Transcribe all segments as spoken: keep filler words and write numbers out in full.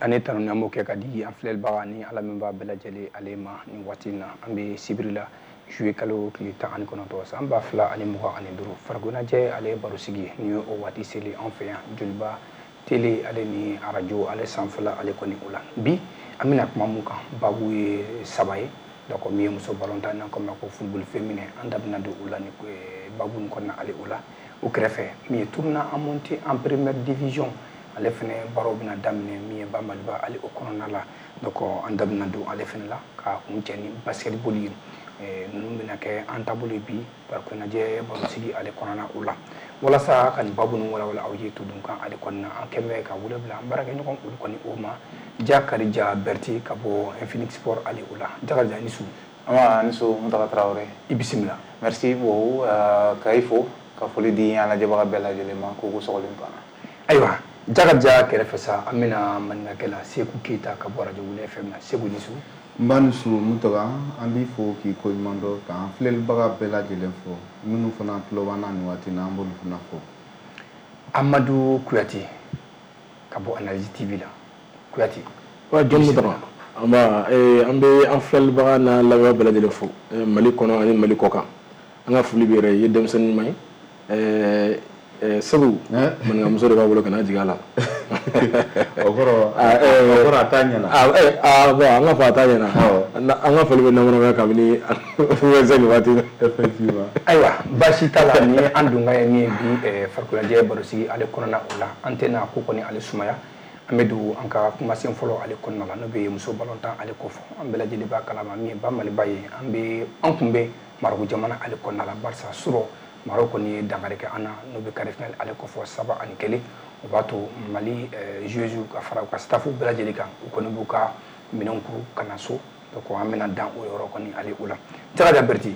Ani tanu an b'o kɛ ka di an filɛlibaga ni ala min b'a bɛɛ lajɛlen ale ma. Nin waati in na, an bɛ sibiri la, juillet kalo tile tan ani kɔnɔntɔn, san ba fila ani mugan ani duuru. Farikoloɲɛnajɛ ale ye barosigi ni ye, o waati seli an fɛ yan Joliba Télé ale ni arajo ale sanfɛla ale kɔni o la. Bi an bɛna kuma mun kan? Babu ye saba ye. Donc min ye muso balontan, n'an ko ma ko football féminin, an da bɛna don o la ni babu nin kɔnɔna ale o la. O kɛrɛfɛ, min ye tournoi en montée en première division, ale fɛnɛ baaraw bɛna daminɛ min ye ba Maliba ale o kɔnɔna la. Donc an da bɛna don ale fɛnɛ la ka kun cɛ ni basketball ye. Ninnu bɛna kɛ an taabolo ye bi farikoloɲɛnajɛ barosigi ale kɔnɔna o la. Walasa ka nin babu ninnu walawala aw ye todun kan ale kɔnɔna, an kɛn bɛ ka wele bila an baarakɛɲɔgɔn olu kɔni o ma, Jakarija Berti ka bɔ Infinix Sport ale o la. Jakarija, ni su. Ama ni su, Mutaka Traoré. I bisimila. Merci beaucoup, ka i fo ka foli di an lajɛbaga bɛɛ lajɛlen ma k'u ko sɔgɔlen banna. Ayiwa, Jakarija kɛrɛfɛ sa, an bɛna maninkakɛ la Seku Keyita ka bɔ arajo Wuli F M na. Segu, ni su. N ba ni su, Mutaka. An b'i fo k'i koɲuman dɔn, k'an filɛlibaga bɛɛ lajɛlen fo. Minnu fana tulo b'an na nin waati in na, an b'olu fana fo. Amadu Kuyate ka bɔ Analyse T V la. Kuyate. Wa John Mutaka, an ba an bɛ an filɛlibaga n'a lamɛnbaga bɛɛ lajɛlen fo Mali kɔnɔ ani Mali kɔ kan. An ka foli b'i yɛrɛ ye, i ye denmisɛnnin ɲuman ye. Segu, maninkamuso de b'a bolo, kana jigin a la. O kɔrɔ, o kɔrɔ a t'a ɲɛna. Ah bon, an ka fɔ a t'a ɲɛna. An ka foli bɛ namanamaya kabini nin waati in na. Effectivement. Ayiwa, baasi t'a la. Ni an donkan ye min ye bi farikoloɲɛnajɛ barosigi ale kɔnɔna o la, an tɛna ko kɔni ale sumaya. An bɛ don an ka kumasen fɔlɔ ale kɔnɔna la, n'o bɛ muso balontan ale kɔfɛ. An bɛɛ lajɛlen b'a kalama min ye ba Maliba ye, an bɛ an kun bɛ Marɔku jamana ale kɔnɔna la, barisa surɔ Marɔku kɔni ye dankari kɛ an na, n'o bɛ quart de finale ale kɔfɛ, saba ani kelen. O b'a to Mali joueurs ka fara u ka staff bɛɛ lajɛlen kan, u kɔni b'u ka minɛnw kuru ka na so. Donc an bɛna dan o yɔrɔ kɔni ale o la. Jakarija Berti,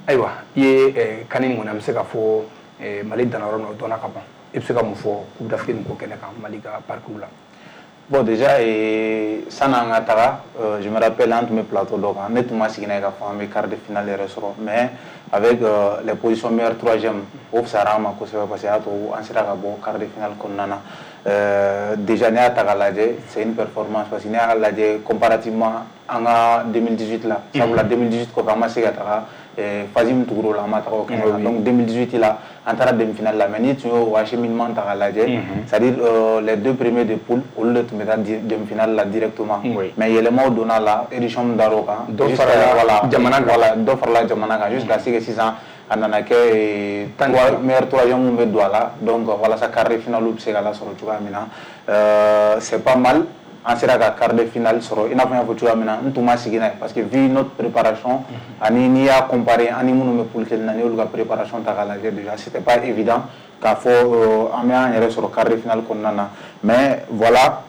ayiwa, i ye CAN nin kɔni, an bɛ se k'a fɔ Mali danna yɔrɔ min na, o dɔnna ka ban. I bɛ se ka mun fɔ Coupe d'Afrique nin ko kɛnɛ kan, Mali ka parcours la? Bon, déjà, sanni an ka taga, je me rappelle, an tun bɛ plateau dɔ kan, ne tun ma sigi n'a ye k'a fɔ an bɛ quart de finale yɛrɛ sɔrɔ, mais avec euh, les positions meilleure troisième, o fisayara an ma kosɛbɛ, parce que y'a to an sera ka bɔ quart de finale kɔnɔna na. euh, déjà n'i y'a ta k'a lajɛ, c'est une performance, parce que n'i y'a lajɛ comparativement an ka deux mille dix-huit la, sabula deux mille dix-huit kɔfɛ an ma se ka taga phase min tugura o la, an ma taga o kɛnɛ kan. Donc deux mille dix-huit la, an taara demi-finale la, mais n'i tun y'o acheminement ta k'a lajɛ, c'est-à-dire euh, les deux premiers de poule, olu de tun bɛ taa demi-finale la directement, mais yɛlɛmaw donna la, édition min dar'o kan, dɔ farala voilà jamana kan. Voilà, dɔ farala jamana kan jusqu'à ce que sisan a nana kɛ trois meilleurs troisième mun bɛ don a la. Donc walasa quart de finale bɛ se ka lasɔrɔ cogoya min na, euh, c'est pas mal. An sera ka quart de finale sɔrɔ, i n'a fɔ n y'a fɔ cogoya min na, n tun ma sigi n'a ye, parce que vu notre préparation ani n'i y'a comparer ani minnu bɛ poule kelen na, n'i y'olu ka préparation ta k'a lajɛ, déjà c'était pas évident k'a fɔ an bɛ an yɛrɛ sɔrɔ quart de finale kɔnɔna na. Mais voilà,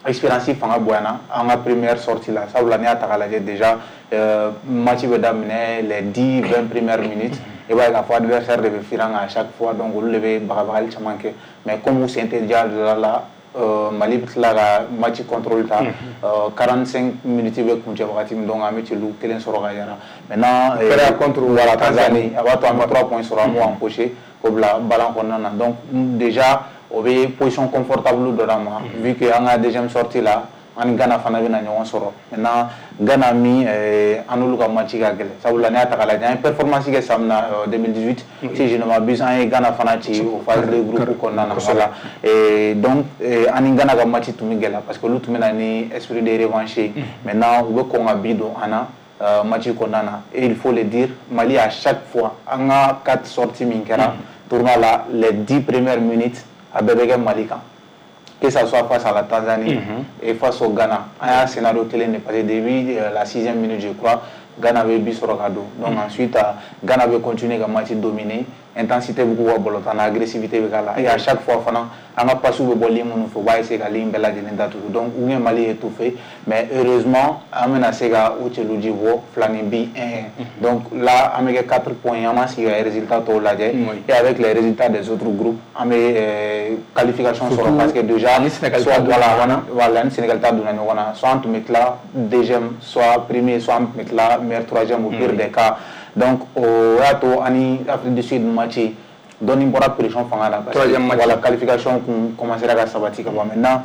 expérience fanga bonyana an ka première sortie la, sabula n'i y'a ta k'a lajɛ, déjà euh, match bɛ daminɛ, les dix vingt premières minutes, i b'a ye k'a fɔ adversaire de bɛ firin an kan à chaque fois. Donc olu de bɛ bagabagali caman kɛ, mais comme u sen tɛ diya la, euh, Mali bɛ tila ka match contrôle ta. euh, quarante-cinq minutes bɛ kuncɛ wagati min, donc an bɛ celu kelen sɔrɔ ka yara. Maintenant kɛra contre voilà, Tanzanie, a b'a to an bɛ trois points sɔrɔ, an b'o empocher k'o bila balan kɔnɔna na. Donc déjà o bɛ position confortable dɔ d'an ma, vu que an ka deuxième sortie la, an ni Ghana fana bɛna ɲɔgɔn sɔrɔ. Maintenant Ghana min, an n'olu ka match ka gɛlɛn, sabula n'i y'a ta k'a lajɛ, an ye performance kɛ san min na, deux mille dix-huit, si je ne m'abuse, an ye Ghana fana ci o phase de groupe kɔnɔna na. Voilà, donc an ni Ghana ka match tun bɛ gɛlɛya, parce que olu tun bɛ na ni esprit de revanche ye. Maintenant u bɛ kɔn ka bi don an na match kɔnɔna na. Et il faut le dire, Mali, à chaque fois, an ka quatre sorties min kɛra tournoi la, les dix premières minutes, a bɛɛ bɛ kɛ Mali kan, que ça soit face à la Tanzanie mm -hmm. et face au Ghana. An y'a scénario kelen de, parce que depuis euh, la sixième minute, je crois, Ghana bɛ bi sɔrɔ ka don. Donc mm -hmm. ensuite euh, Ghana bɛ continuer ka match dominer, intensité bɛ k'u ka balontan na, agressivité bɛ k'a la, et à chaque fois fana, an ka passes bɛ bɔ ligne minnu fɛ, u b'a essayer ka ligne bɛɛ lajɛlen datugu. Donc u ye Mali étouffé, mais heureusement an bɛna se ka o cɛlu ji bɔ fila ni bi un. Donc là an bɛ kɛ quatre points, an b'an sigi ka résultat tɔw lajɛ, et avec les résultats des autres groupes, an bɛ euh, qualification sɔrɔ, parce que déjà ni Sénégal soit voilà voilà ni Sénégal ta donna ɲɔgɔn na, soit an tun bɛ tila deuxième, soit premier, soit an tun bɛ tila meilleur troisième au pire des cas. Donc o y'a to ani Afrique du Sud match dɔɔni bɔra pression fanga la, parce que voilà, qualification kun commencera ka sabati ka ban. Maintenant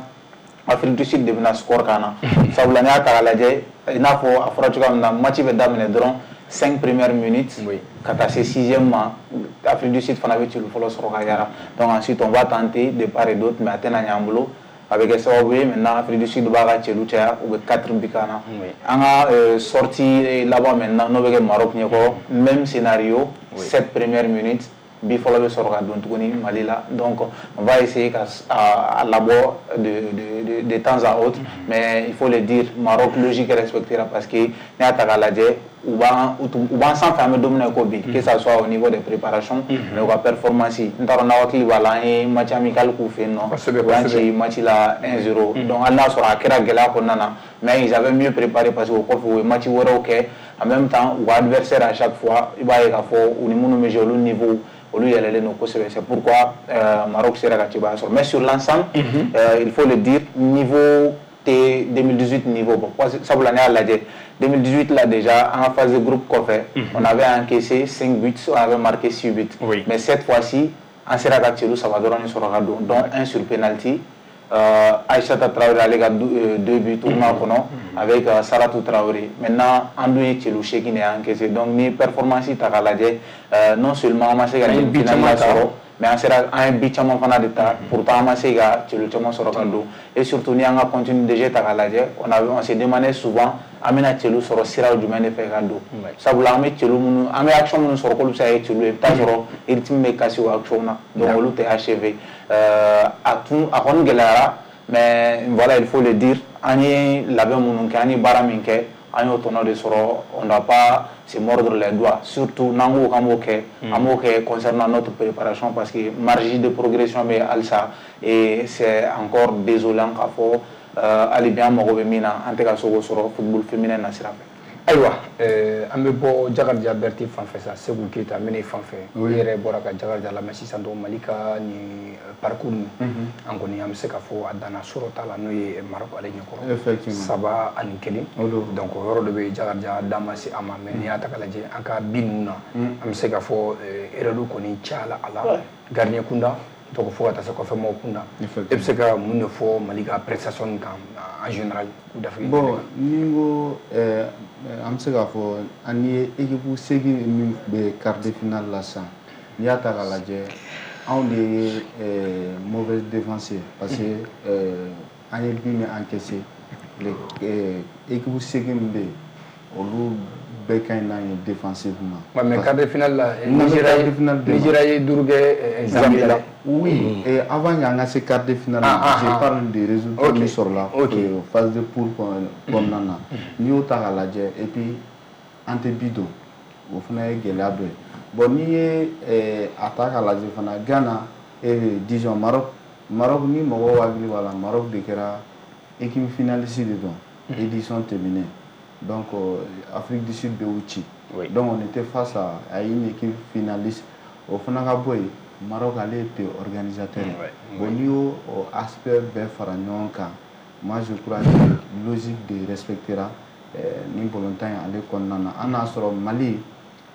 Afrique du Sud de bɛna score kan na. Sabula n'i y'a ta k'a lajɛ, i n'a fɔ a fɔra cogoya min na, match bɛ daminɛ dɔrɔn, cinq premières minutes ka taa se sixième ma, Afrique du Sud fana bɛ celu fɔlɔ sɔrɔ ka yara. Donc ensuite on va tenter de part et d'autre, mais a tɛna ɲɛ an bolo. A bɛ kɛ sababu ye maintenant Afrique du Sud b'a ka celu caya, u bɛ quatre buts kan na. An ka sortie laban maintenant, n'o bɛ kɛ Maroc ɲɛkɔrɔ, même scénario, sept premières minutes, bi fɔlɔ bɛ sɔrɔ ka don tuguni Mali la. Donc on va essayer ka a labɔ de de de de temps à autre, mais il faut le dire, Maroc logique respectera, parce que n'i y'a ta k'a lajɛ, u b'an u b'an sanfɛ an bɛ don min na i ko bi, que ça soit au niveau des préparations, mais u ka performance, n t'a dɔn n'aw hakili b'a la, an ye match amical k'u fɛ yen nɔ, u y'an ci match la un zéro. Donc hali n'a sɔrɔ a kɛra gɛlɛya kɔnɔna na, mais ils avaient mieux préparé, parce que o kɔfɛ u ye match wɛrɛw kɛ. En même temps, u ka adversaire, à chaque fois i b'a ye k'a fɔ u ni minnu bɛ jouer, olu niveau olu yɛlɛlen don kosɛbɛ. C'est pourquoi euh, Maroc sera ka cɛbaya sɔrɔ. Mais sur l'ensemble, mm -hmm. euh, il faut le dire, niveau tɛ deux mille dix-huit niveau bɔ, sabula n'i y'a lajɛ deux mille dix-huit là, déjà en phase de groupe kɔfɛ, mm -hmm. on avait encaissé cinq buts, on avait marqué six buts. Oui. Mais cette fois-ci an sera ka celu saba dɔrɔn sɔrɔ ka don, dont un sur penalty. euh, Aïssata Traoré ale ka deux buts tournoi kɔnɔ avec euh, Saratou Traoré. Maintenant an dun ye celu seegin de encaissé. Donc ni performance ta k'a lajɛ, euh, non seulement an ma se ka demi-finale la sɔrɔ, mais an sera an ye but caman fana de ta, pourtant an ma se ka celu caman sɔrɔ ka don. Et surtout ni an ka contenu de jeu ta k'a lajɛ, on avait on s'est demandé souvent an bɛna celu sɔrɔ siraw jumɛn de fɛ ka don, sabula an bɛ celu minnu, an bɛ action minnu sɔrɔ k'olu bɛ se ka kɛ celu ye, i bɛ taa sɔrɔ rythme bɛ casser o action na, donc olu tɛ achevé. A tun a kɔni gɛlɛyara, mais voilà, il faut le dire, an ye labɛn minnu kɛ, an ye baara min kɛ, an y'o tɔnɔ de sɔrɔ. On doit pas se mordre les doigts, surtout n'an ko k'an b'o kɛ, an b'o kɛ concernant notre préparation, parce que marge de progression bɛ halisa et c'est encore désolant k'a fɔ hali bi an mago bɛ min na, an tɛ ka se k'o sɔrɔ football féminin na sira fɛ. Ayiwa, an bɛ bɔ Jakarija Berete fan fɛ sa. Segu Keyita, n bɛ n'i fan fɛ. I yɛrɛ bɔra ka Jakarija lamɛn sisan. Donc Mali ka nin parcours nin, an kɔni an bɛ se k'a fɔ a danna sɔrɔ t'a la, n'o ye Maroc ale ɲɛkɔrɔ saba ani kelen. Donc o yɔrɔ dɔ bɛ Jakarija da ma se a ma. Mais n'i y'a ta k'a lajɛ an ka bi ninnu na, an bɛ se k'a fɔ erreur kɔni cayala a la, gardien kunda, donc fo ka taa se kɔfɛ mɔgɔw kunda. E bɛ se ka mun de fɔ Mali ka prestation nin kan en général, k'u dafiri? Bon, ni n ko an bɛ se k'a fɔ an ye équipe seegin min bɛ quart de finale la sisan, n'i y'a ta k'a lajɛ, anw de ye mauvaise défense ye, parce que an ye but min encaissé, équipe seegin min bɛ yen, olu bɛɛ ka ɲi n'an ye défensivement. Ouais, mais quart de finale la, Nigeria ye duuru kɛ Zambie la. Oui, et avant y'an ka se quart de finale, ah, je ah, parle des résultats min sɔrɔla phase de poule kɔnɔna na. N'i y'o ta k'a lajɛ, et puis an tɛ bi don, o fana ye gɛlɛya dɔ ye. Bon, n'i ye a ta k'a lajɛ fana, Ghana, disons Maroc, Maroc ni mɔgɔw hakili b'a la, Maroc de kɛra équipe finaliste de don édition tɛmɛnen. Donc Afrique du Sud bɛ u ci. Donc on était face à, à une équipe finaliste. O fana ka bɔ yen, Maroc ale ye pays organisateur ye. Bon, n'i y'o aspect bɛɛ fara ɲɔgɔn kan, moi je crois que logique de respectera nin balontan in ale kɔnɔna na. An n'a sɔrɔ Mali,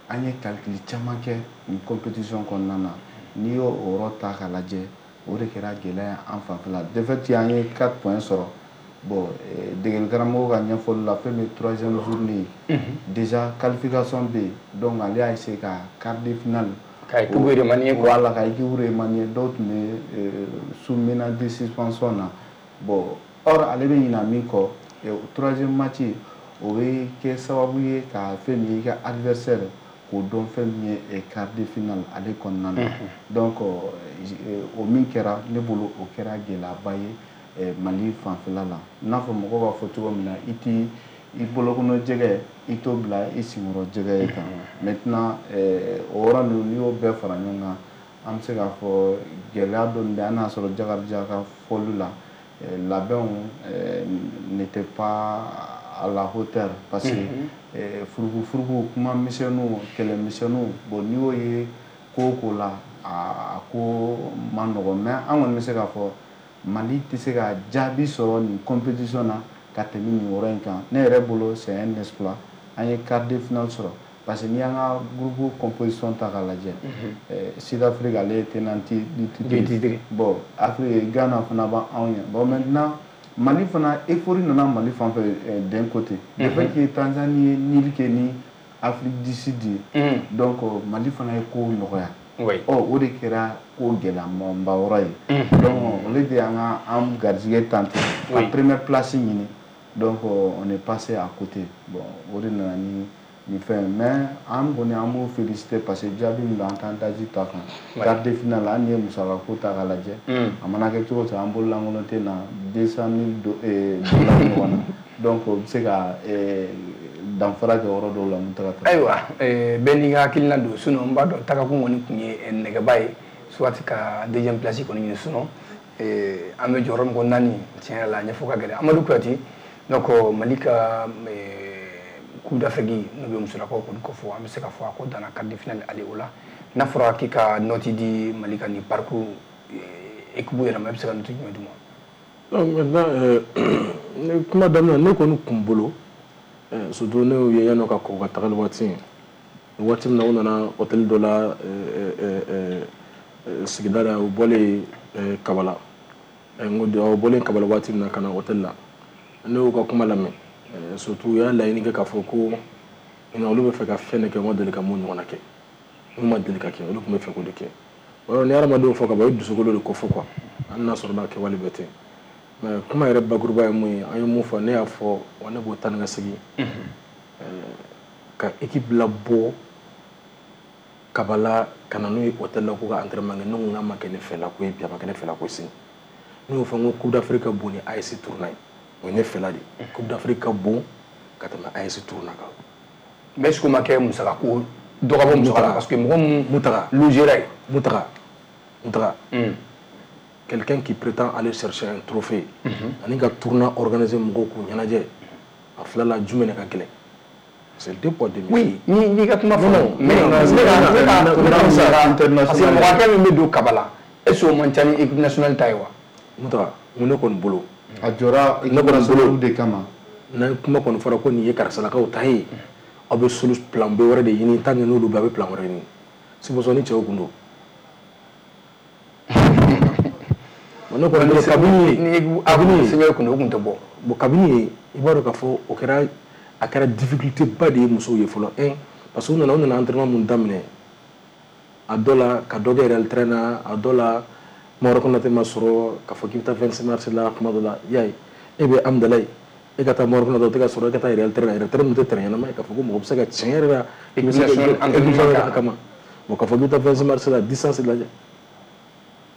an ye calcul caman kɛ nin compétition kɔnɔna na. N'i y'o o yɔrɔ ta k'a lajɛ, o de kɛra gɛlɛya ye an fanfɛla. De fait, an ye quatre points sɔrɔ. Bon, degeli karamɔgɔ ka ɲɛfɔli la, fɛn min ye troisième journée ye, déjà qualification bɛ yen, donc ale y'a essayer ka quart de finale ka équipe remanier quoi. Voilà, ka équipe remanier. Dɔw tun bɛ sous menace de suspension na. Bon, or ale bɛ ɲina min kɔ, troisième match o bɛ kɛ sababu ye ka fɛn min ye i ka adversaire k'o dɔn, fɛn min ye quart de finale ale kɔnɔna na. Donc o min kɛra, ne bolo o kɛra gɛlɛyaba ye Mali fanfɛla la. I n'a fɔ mɔgɔw b'a fɔ cogo min na, i ti i bolokɔnɔ jɛgɛ i t'o bila i senkɔrɔ jɛgɛ ye tan. Maintenant o yɔrɔ ninnu, n'i y'o bɛɛ fara ɲɔgɔn kan, an bɛ se k'a fɔ gɛlɛya dɔɔni bɛ an n'a sɔrɔ Jakarija ka fɔli la, labɛnw n'était pas à la hauteur, parce que furuku furuku, kuma misɛnninw, kɛlɛ misɛnninw. Bon, n'i y'o ye ko o ko la, a ko man nɔgɔn. Mais an kɔni bɛ se k'a fɔ Mali tɛ se ka jaabi sɔrɔ nin compétition na ka tɛmɛ nin yɔrɔ in kan. Ne yɛrɛ bolo, c'est un exploit an ye quart de finale sɔrɔ, parce que n'i y'an ka groupe composition ta k'a lajɛ, Sud-Afrique ale ye tenant du titre. Bon, Afrique, Ghana fana b'anw ɲɛ. Bon, maintenant Mali fana euphorie nana Mali fan fɛ d'un côté. Le fait que Tanzanie ye nul kɛ ni Afrique du Sud ye, donc Mali fana ye ko nɔgɔya. Ɔ o de kɛra ko gɛlɛyamaba yɔrɔ ye. Donc au lieu de an ka an garijɛgɛ tenter ka première place ɲini, donc on est passé à côté. Bon, o de nana ni ni fɛn, mais an kɔni an b'o féliciter parce que jaabi min don, an t'an daji ta kan. Quart de finale, hali n'i ye musakako ta k'a lajɛ, a mana kɛ cogo o cogo, an bololankolon tɛ na deux cent mille dollars ɲɔgɔn na. Donc o bɛ se ka danfara kɛ yɔrɔ dɔw la mun taga ta. Ayiwa, bɛɛ n'i ka hakilina don. Sinon n b'a dɔn tagakun kɔni tun ye nɛgɛba ye, soit ka deuxième place kɔni ɲini. Sinon an bɛ jɔyɔrɔ min ko naani, tiɲɛ yɛrɛ la a ɲɛfɔ ka gɛlɛn. Amadu Kuyate, donc Mali ka Coupe d'Afrique n'o bɛ musolakaw kɔni kɔfɔ, an bɛ se k'a fɔ a ko danna quart de finale ale o la. N'a fɔra k'i ka note di Mali ka nin parcours équipe yɛrɛ ma, i bɛ se ka note jumɛn d'u ma? Donc maintenant, ne kuma daminɛ, ne kɔni kun bolo, surtout ne y'u ye yanni ka kɔn ka tagali waati waati min na, u nana hôtel dɔ la sigida la, u bɔlen Kabala, n ko u bɔlen Kabala waati min na ka na hôtel la, ne y'u ka kuma lamɛn. Surtout u y'a laɲini kɛ k'a fɔ ko olu bɛ fɛ ka fɛn de kɛ, u ma deli ka mun ɲɔgɔnna kɛ, mun ma deli ka kɛ, olu tun bɛ fɛ k'o de kɛ. O yɔrɔ ni hadamadenw fɔ ka ban, o ye dusukolo de ko fɔ quoi, hali n'a sɔrɔ n'a kɛwale bɛɛ tɛ. Mais kuma yɛrɛ bakuruba ye mun ye, an ye mun fɔ, ne y'a fɔ wa ne b'o taa ni ka segin ka équipe labɔ Kabala ka na n'u ye hôtel la k'u ka entraînement kɛ. Ne ko n k'a ma kɛ ne fɛla ko ye bi, a ma kɛ ne fɛla ko ye sini. Ne y'o fɔ n ko Coupe d'Afrique ka bon ni A E S tournoi ye, o ye ne fɛla de ye. Coupe d'Afrique ka bon ka tɛmɛ A E S tournoi kan. Mais est-ce que o ma kɛ musaka ko dɔ ka bɔ musaka la, parce que mɔgɔ mun Mutaga logera yen? Mutaga Mutaga quelqu'un qui prétend aller chercher un trophée ani ka tournoi organiser mɔgɔw k'u ɲɛnajɛ, a fila la jumɛn de ka gɛlɛn? C'est deux poids deux mesures. Oui, ni n'i ka kuma fɔ, mais ne ka ne ka musaka, parce que mɔgɔ hakɛ min bɛ don Kabala, est-ce que o man ca ni équipe nationale ta ye wa? Mutaga, mun ne kɔni bolo, a jɔra équipe nationale de kama. N'an kuma kɔni fɔra ko nin ye karisalakaw ta ye, aw bɛ solu plan B wɛrɛ de ɲini, tant que n'olu bɛ, a bɛ plan wɛrɛ ɲini. Supposons ni cɛw kun don. Ne kɔni bolo, kabini ni kabini sɛbɛn kun don, o kun tɛ bɔ. Bon, kabini i b'a dɔn k'a fɔ o kɛra, a kɛra difficulté ba de ye musow ye fɔlɔ. Un, parce que u nana u nana entraînement mun daminɛ, a dɔ la ka dɔ kɛ Real train na, a dɔ la Maroc Konate ma sɔrɔ k'a fɔ k'i bɛ taa vingt-six mars la kuma dɔ la, i y'a ye e bɛ Amdalaye, e ka taa Maroc Konate o tɛ ka sɔrɔ, e ka taa Real train na, Real train min tɛ terrain ɲɛnama ye k'a fɔ ko mɔgɔ bɛ se ka tiɲɛ yɛrɛ la équipe nationale entraînement kama. Bon, k'a fɔ k'i bɛ taa vingt-six mars la, distance lajɛ.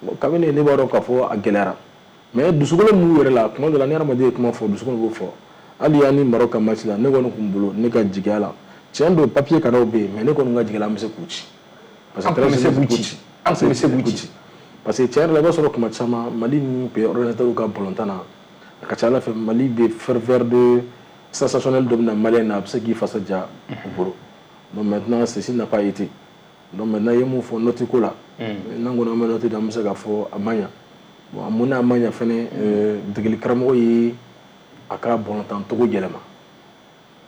Bon, kabini ne b'a dɔn k'a fɔ a gɛlɛyara, mais dusukolo min b'u yɛrɛ la kuma dɔ la, ni hadamaden ye kuma fɔ, dusukolo b'o fɔ. Hali yanni Maroc ka match la, ne kɔni kun bolo, ne ka jigiya la, tiɲɛ don papier kanaw bɛ yen, mais ne kɔni ka jigiya la an bɛ se k'u ci. Parce que an bɛ se k'u ci, an bɛ se k'u ci. Parce que tiɲɛ yɛrɛ la, i b'a sɔrɔ kuma caman Mali ni pays organisateur ka balontan na, a ka ca Ala fɛ Mali bɛ ferveur de sensationnel dɔ bɛ na Malien na, a bɛ se k'i fasa ja u bolo. Donc maintenant ceci n'a pas été. Donc maintenant i ye mun fɔ note ko la, n'an kɔni an bɛ note di, an bɛ se k'a fɔ a ma ɲa. Bon, a mun n'a ma ɲa fɛnɛ, degeli karamɔgɔ ye a ka balontan cogo yɛlɛma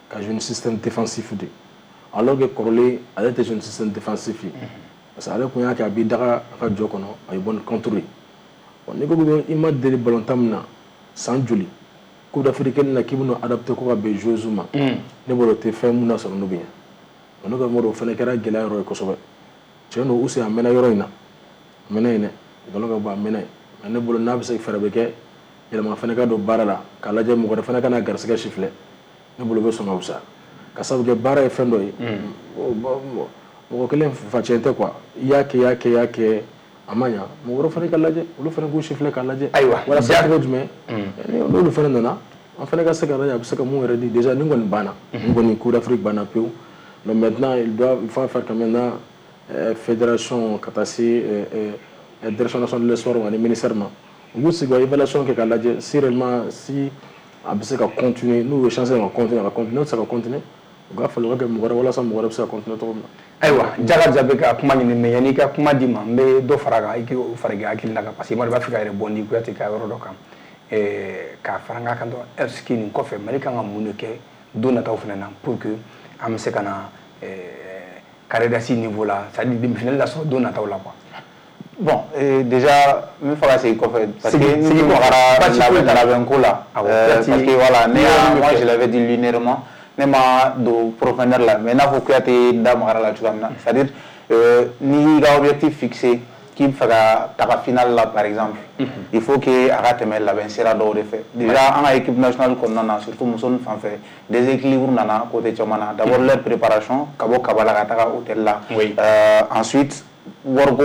ka jouer système défensif de, alors que kɔrɔlen ale tɛ jouer système défensif ye, parce que ale kun y'a kɛ a b'i daga a ka jɔ kɔnɔ, a ye bɔ ni contre ye. Bon, n'i ko i ma deli balontan min na san joli, Coupe d'Afrique na k'i bɛna adapté ko ka bɛn joueurs ma, ne bolo o tɛ fɛn mun na sɔrɔ n'o bɛ ɲɛ. Ne ka mɔgɔ o fana kɛra gɛlɛya yɔrɔ ye kosɛbɛ. Tiɲɛ don, Usi a mɛnna yɔrɔ in na, a mɛnna yen dɛ, nkalon ka bɔ a mɛnna yen, mais ne bolo n'a bɛ se fɛɛrɛ bɛ kɛ yɛlɛma fana ka don baara la k'a lajɛ mɔgɔ wɛrɛ fana ka na garisɛgɛ siffler, ne bolo bɛ sɔn ka fisaya, ka sababu kɛ baara ye fɛn dɔ ye, mɔgɔ kelen facɛn tɛ quoi, i y'a kɛ i y'a kɛ i y'a kɛ a ma ɲa, mɔgɔ wɛrɛ fana ka lajɛ, olu fana k'u siffler k'a lajɛ. Ayiwa, walasa cogo jumɛn n'olu fana nana, an fana ka se ka lajɛ a bɛ se ka mun yɛrɛ di. Déjà nin kɔni banna, nin kɔni Coupe d'Afrique banna pewu. Donc maintenant il doit, il faut faire quand maintenant euh, fédération ka taa se euh, euh, direction nationale de l'esport ani ministère ma, u b'u sigi ka évaluation kɛ k'a lajɛ si réellement si a bɛ se ka continuer, n'u ye chance ka continuer, a ka continuer, n'u tɛ se ka continuer, u ka falen u ka kɛ mɔgɔ wɛrɛ walasa mɔgɔ wɛrɛ bɛ se ka continuer cogo min na. Ayiwa, Jaga Jabe ka kuma ɲini, mais yanni i ka kuma di ma, n bɛ dɔ fara a kan, i k'o fara i ka hakilina kan, parce que i b'a fɛ ka yɛrɛ bɔ ni Kuyate ka yɔrɔ dɔ kan, k'a fara n ka kan dɔrɔn. Est ce que nin kɔfɛ Mali kan ka mun de kɛ don nataw fana na pour que an bɛ se ka na carré d'as niveau la, c'est à dire demi-finale la sɔrɔ don nataw la quoi? Bon, euh, déjà, n bɛ fɛ ka segin kɔfɛ parce que ni magara labɛnko la, parce que voilà, ne y'a, moi je l'avais dit linéairement, ne ma don profondeur la, mais n'a fɔ Kuyate da magara la cogoya min na, c'est-à-dire euh, n'i y'i ka objectif fixé k'i bɛ fɛ ka taga finale la par exemple, il faut que a ka tɛmɛ labɛn sira dɔw de fɛ. Déjà an ka équipe nationale kɔnɔna na, surtout muso nin fan fɛ, déséquilibre nana côté caman na. D'abord leur préparation, ka bɔ Kabala ka taga hôtel la. Oui. Euh, ensuite wariko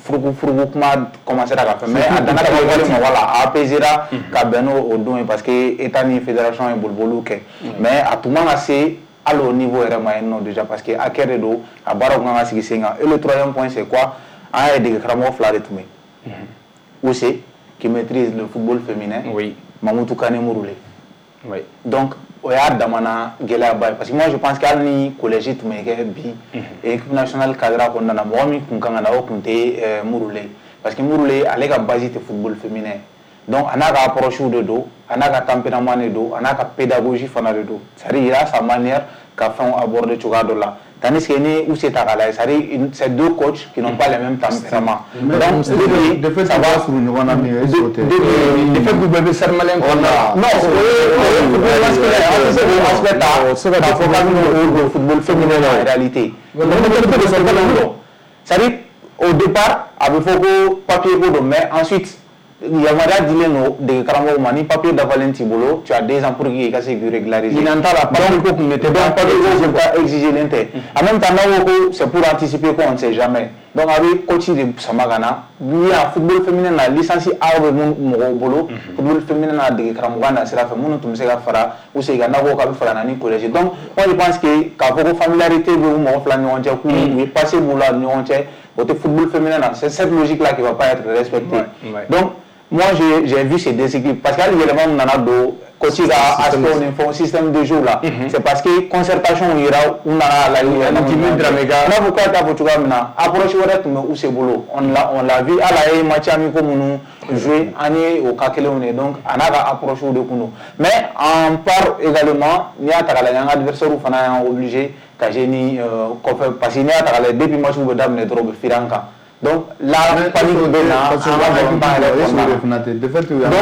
furuku furuku kuma commencera ka fɛn, mais a danna ka wale ma, voilà, a apaisera ka bɛn n'o o don ye, parce que état ni fédération ye boliboliw kɛ, mais a tun man ka se hali au niveau yɛrɛ ma yen nɔ déjà, parce que hakɛ de don, a baaraw kan ka sigi sen kan. Et le troisième point, c'est quoi? An y'a ye dege karamɔgɔ fila de tun bɛ yen, Ose qui maîtrise le football féminin, oui Mamoutou Kane Mouroulé. Oui donc o y'a damana gɛlɛyaba ye, parce que moi je pense que hali ni collège tun bɛ kɛ bi, équipe nationale cadre kɔnɔna na, mɔgɔ min kun kan ka na, o kun tɛ Mouroulé, parce que Mouroulé ale ka base tɛ football féminin. Donc a n'a ka approche de don, a n'a ka tempérament de don, a n'a ka pédagogie fana de don, c'est-à-dire il a sa manière ka fɛnw aborder cogoya dɔ la, tandis que ni Use ta k'a lajɛ, c'est-à-dire c'est deux coachs qui n'ont pas les mêmes tempéraments. Donc de fait ça va surun ɲɔgɔn na min ye, est-ce que o tɛ? De fait k'u bɛɛ bɛ Stade Malien kɔnɔna la. Non, o ye o ye football masculin, an tɛ se k'o aspect ta k'a fɔ k'an bɛna o don football féminin na en réalité. C'est-à-dire au départ a bɛ fɔ ko papier ko don, mais ensuite yamaruya dilen don dege karamɔgɔw ma, ni papier dafalen t'i bolo, tu as deux ans pour que i ka se k'i régulariser. Ɲinan t'a la, papier ko kun tɛ. Donc papier ko kun tɛ exiger len tɛ. En même temps, n'aw ko ko c'est pour anticiper ko on ne sait jamais, donc a bɛ coach de sama ka na. N'i y'a football féminin na, licence A bɛ mun mɔgɔw bolo football féminin na, dege karamɔgɔya na sira fɛ, minnu tun bɛ se ka fara u segin kan, n'a ko k'a bɛ fɛ ka na ni collège. Donc moi je pense que k'a fɔ ko familiarité bɛ u mɔgɔ fila ni ɲɔgɔn cɛ, k'u u ye passé b'u la ni ɲɔgɔn cɛ, o tɛ football féminin na. C'est cette logique là qui va pas être respectée. Donc moi j'ai vu ces déséquilibres, parce que hali yɛlɛma min nana don coach ka aspect ni fɛnw, système de jeu la, c'est parce que concertation yira u nana la. Jimi Dramé ka n'a fɔ k'a t'a fɔ cogoya min na, approche wɛrɛ tun bɛ Use bolo, on l'a on l'a vu, hali a ye match amicaux minnu joué, an ye o cas kelenw de ye. Donc a n'a ka approche de kun don, mais en part également, n'i y'a ta k'a lajɛ, an ka adversaire fana y'an obligé ka jouer ni kɔfɛ, parce que n'i y'a ta k'a lajɛ, depuis match bɛ daminɛ dɔrɔn, u bɛ firin an kan. Donc la panique bɛ na an ka balontan yɛrɛ kɔnɔna na.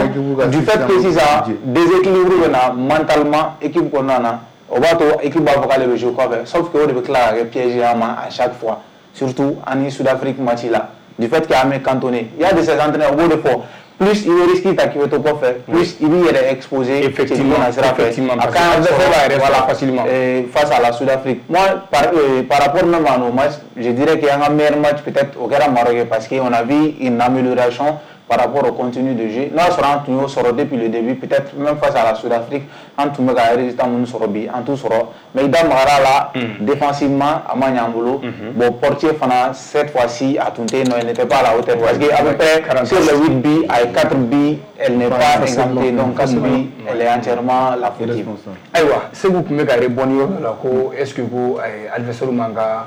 Donc du fait que sisan déséquilibre bɛ na mentalement équipe kɔnɔna na, o b'a to équipe b'a fɔ k'ale bɛ jouer kɔfɛ, sauf que o de bɛ tila ka kɛ piège ye an ma à chaque fois, surtout an ni Sud-Afrique match la, du fait que an bɛ cantonné. Il y a de ces entraîneurs, u b'o de fɔ, plus i bɛ risque ta k'i bɛ to kɔfɛ, plus i b'i yɛrɛ exposé. Effectivement, effectivement, a kan b'a yɛrɛ voilà facilement face à la Sud-Afrique. Moi par euh, par rapport même à nos matchs, je dirais qu'il y a un meilleur match peut-être au kɛra Maroc, parce qu'on a vu une amélioration par rapport au contenu de jeu. N'a sɔrɔ an tun y'o sɔrɔ depuis le début, peut-être même face à la Sud-Afrique, an tun bɛ ka résultat minnu sɔrɔ bi, an t'u sɔrɔ. Mais i da magara la, défensivement a ma ɲɛ an bolo. Bon, portier fana, cette fois-ci a tun tɛ yen nɔ, il n'était pas à la hauteur, parce que à peu près sur les huit buts, a ye quatre buts, elle n'est pas exemptée, donc quatre buts, elle est entièrement la fautive. Ayiwa, Segu tun bɛ ka rebondir yɔrɔ dɔ la ko est-ce que ko adversaire man ka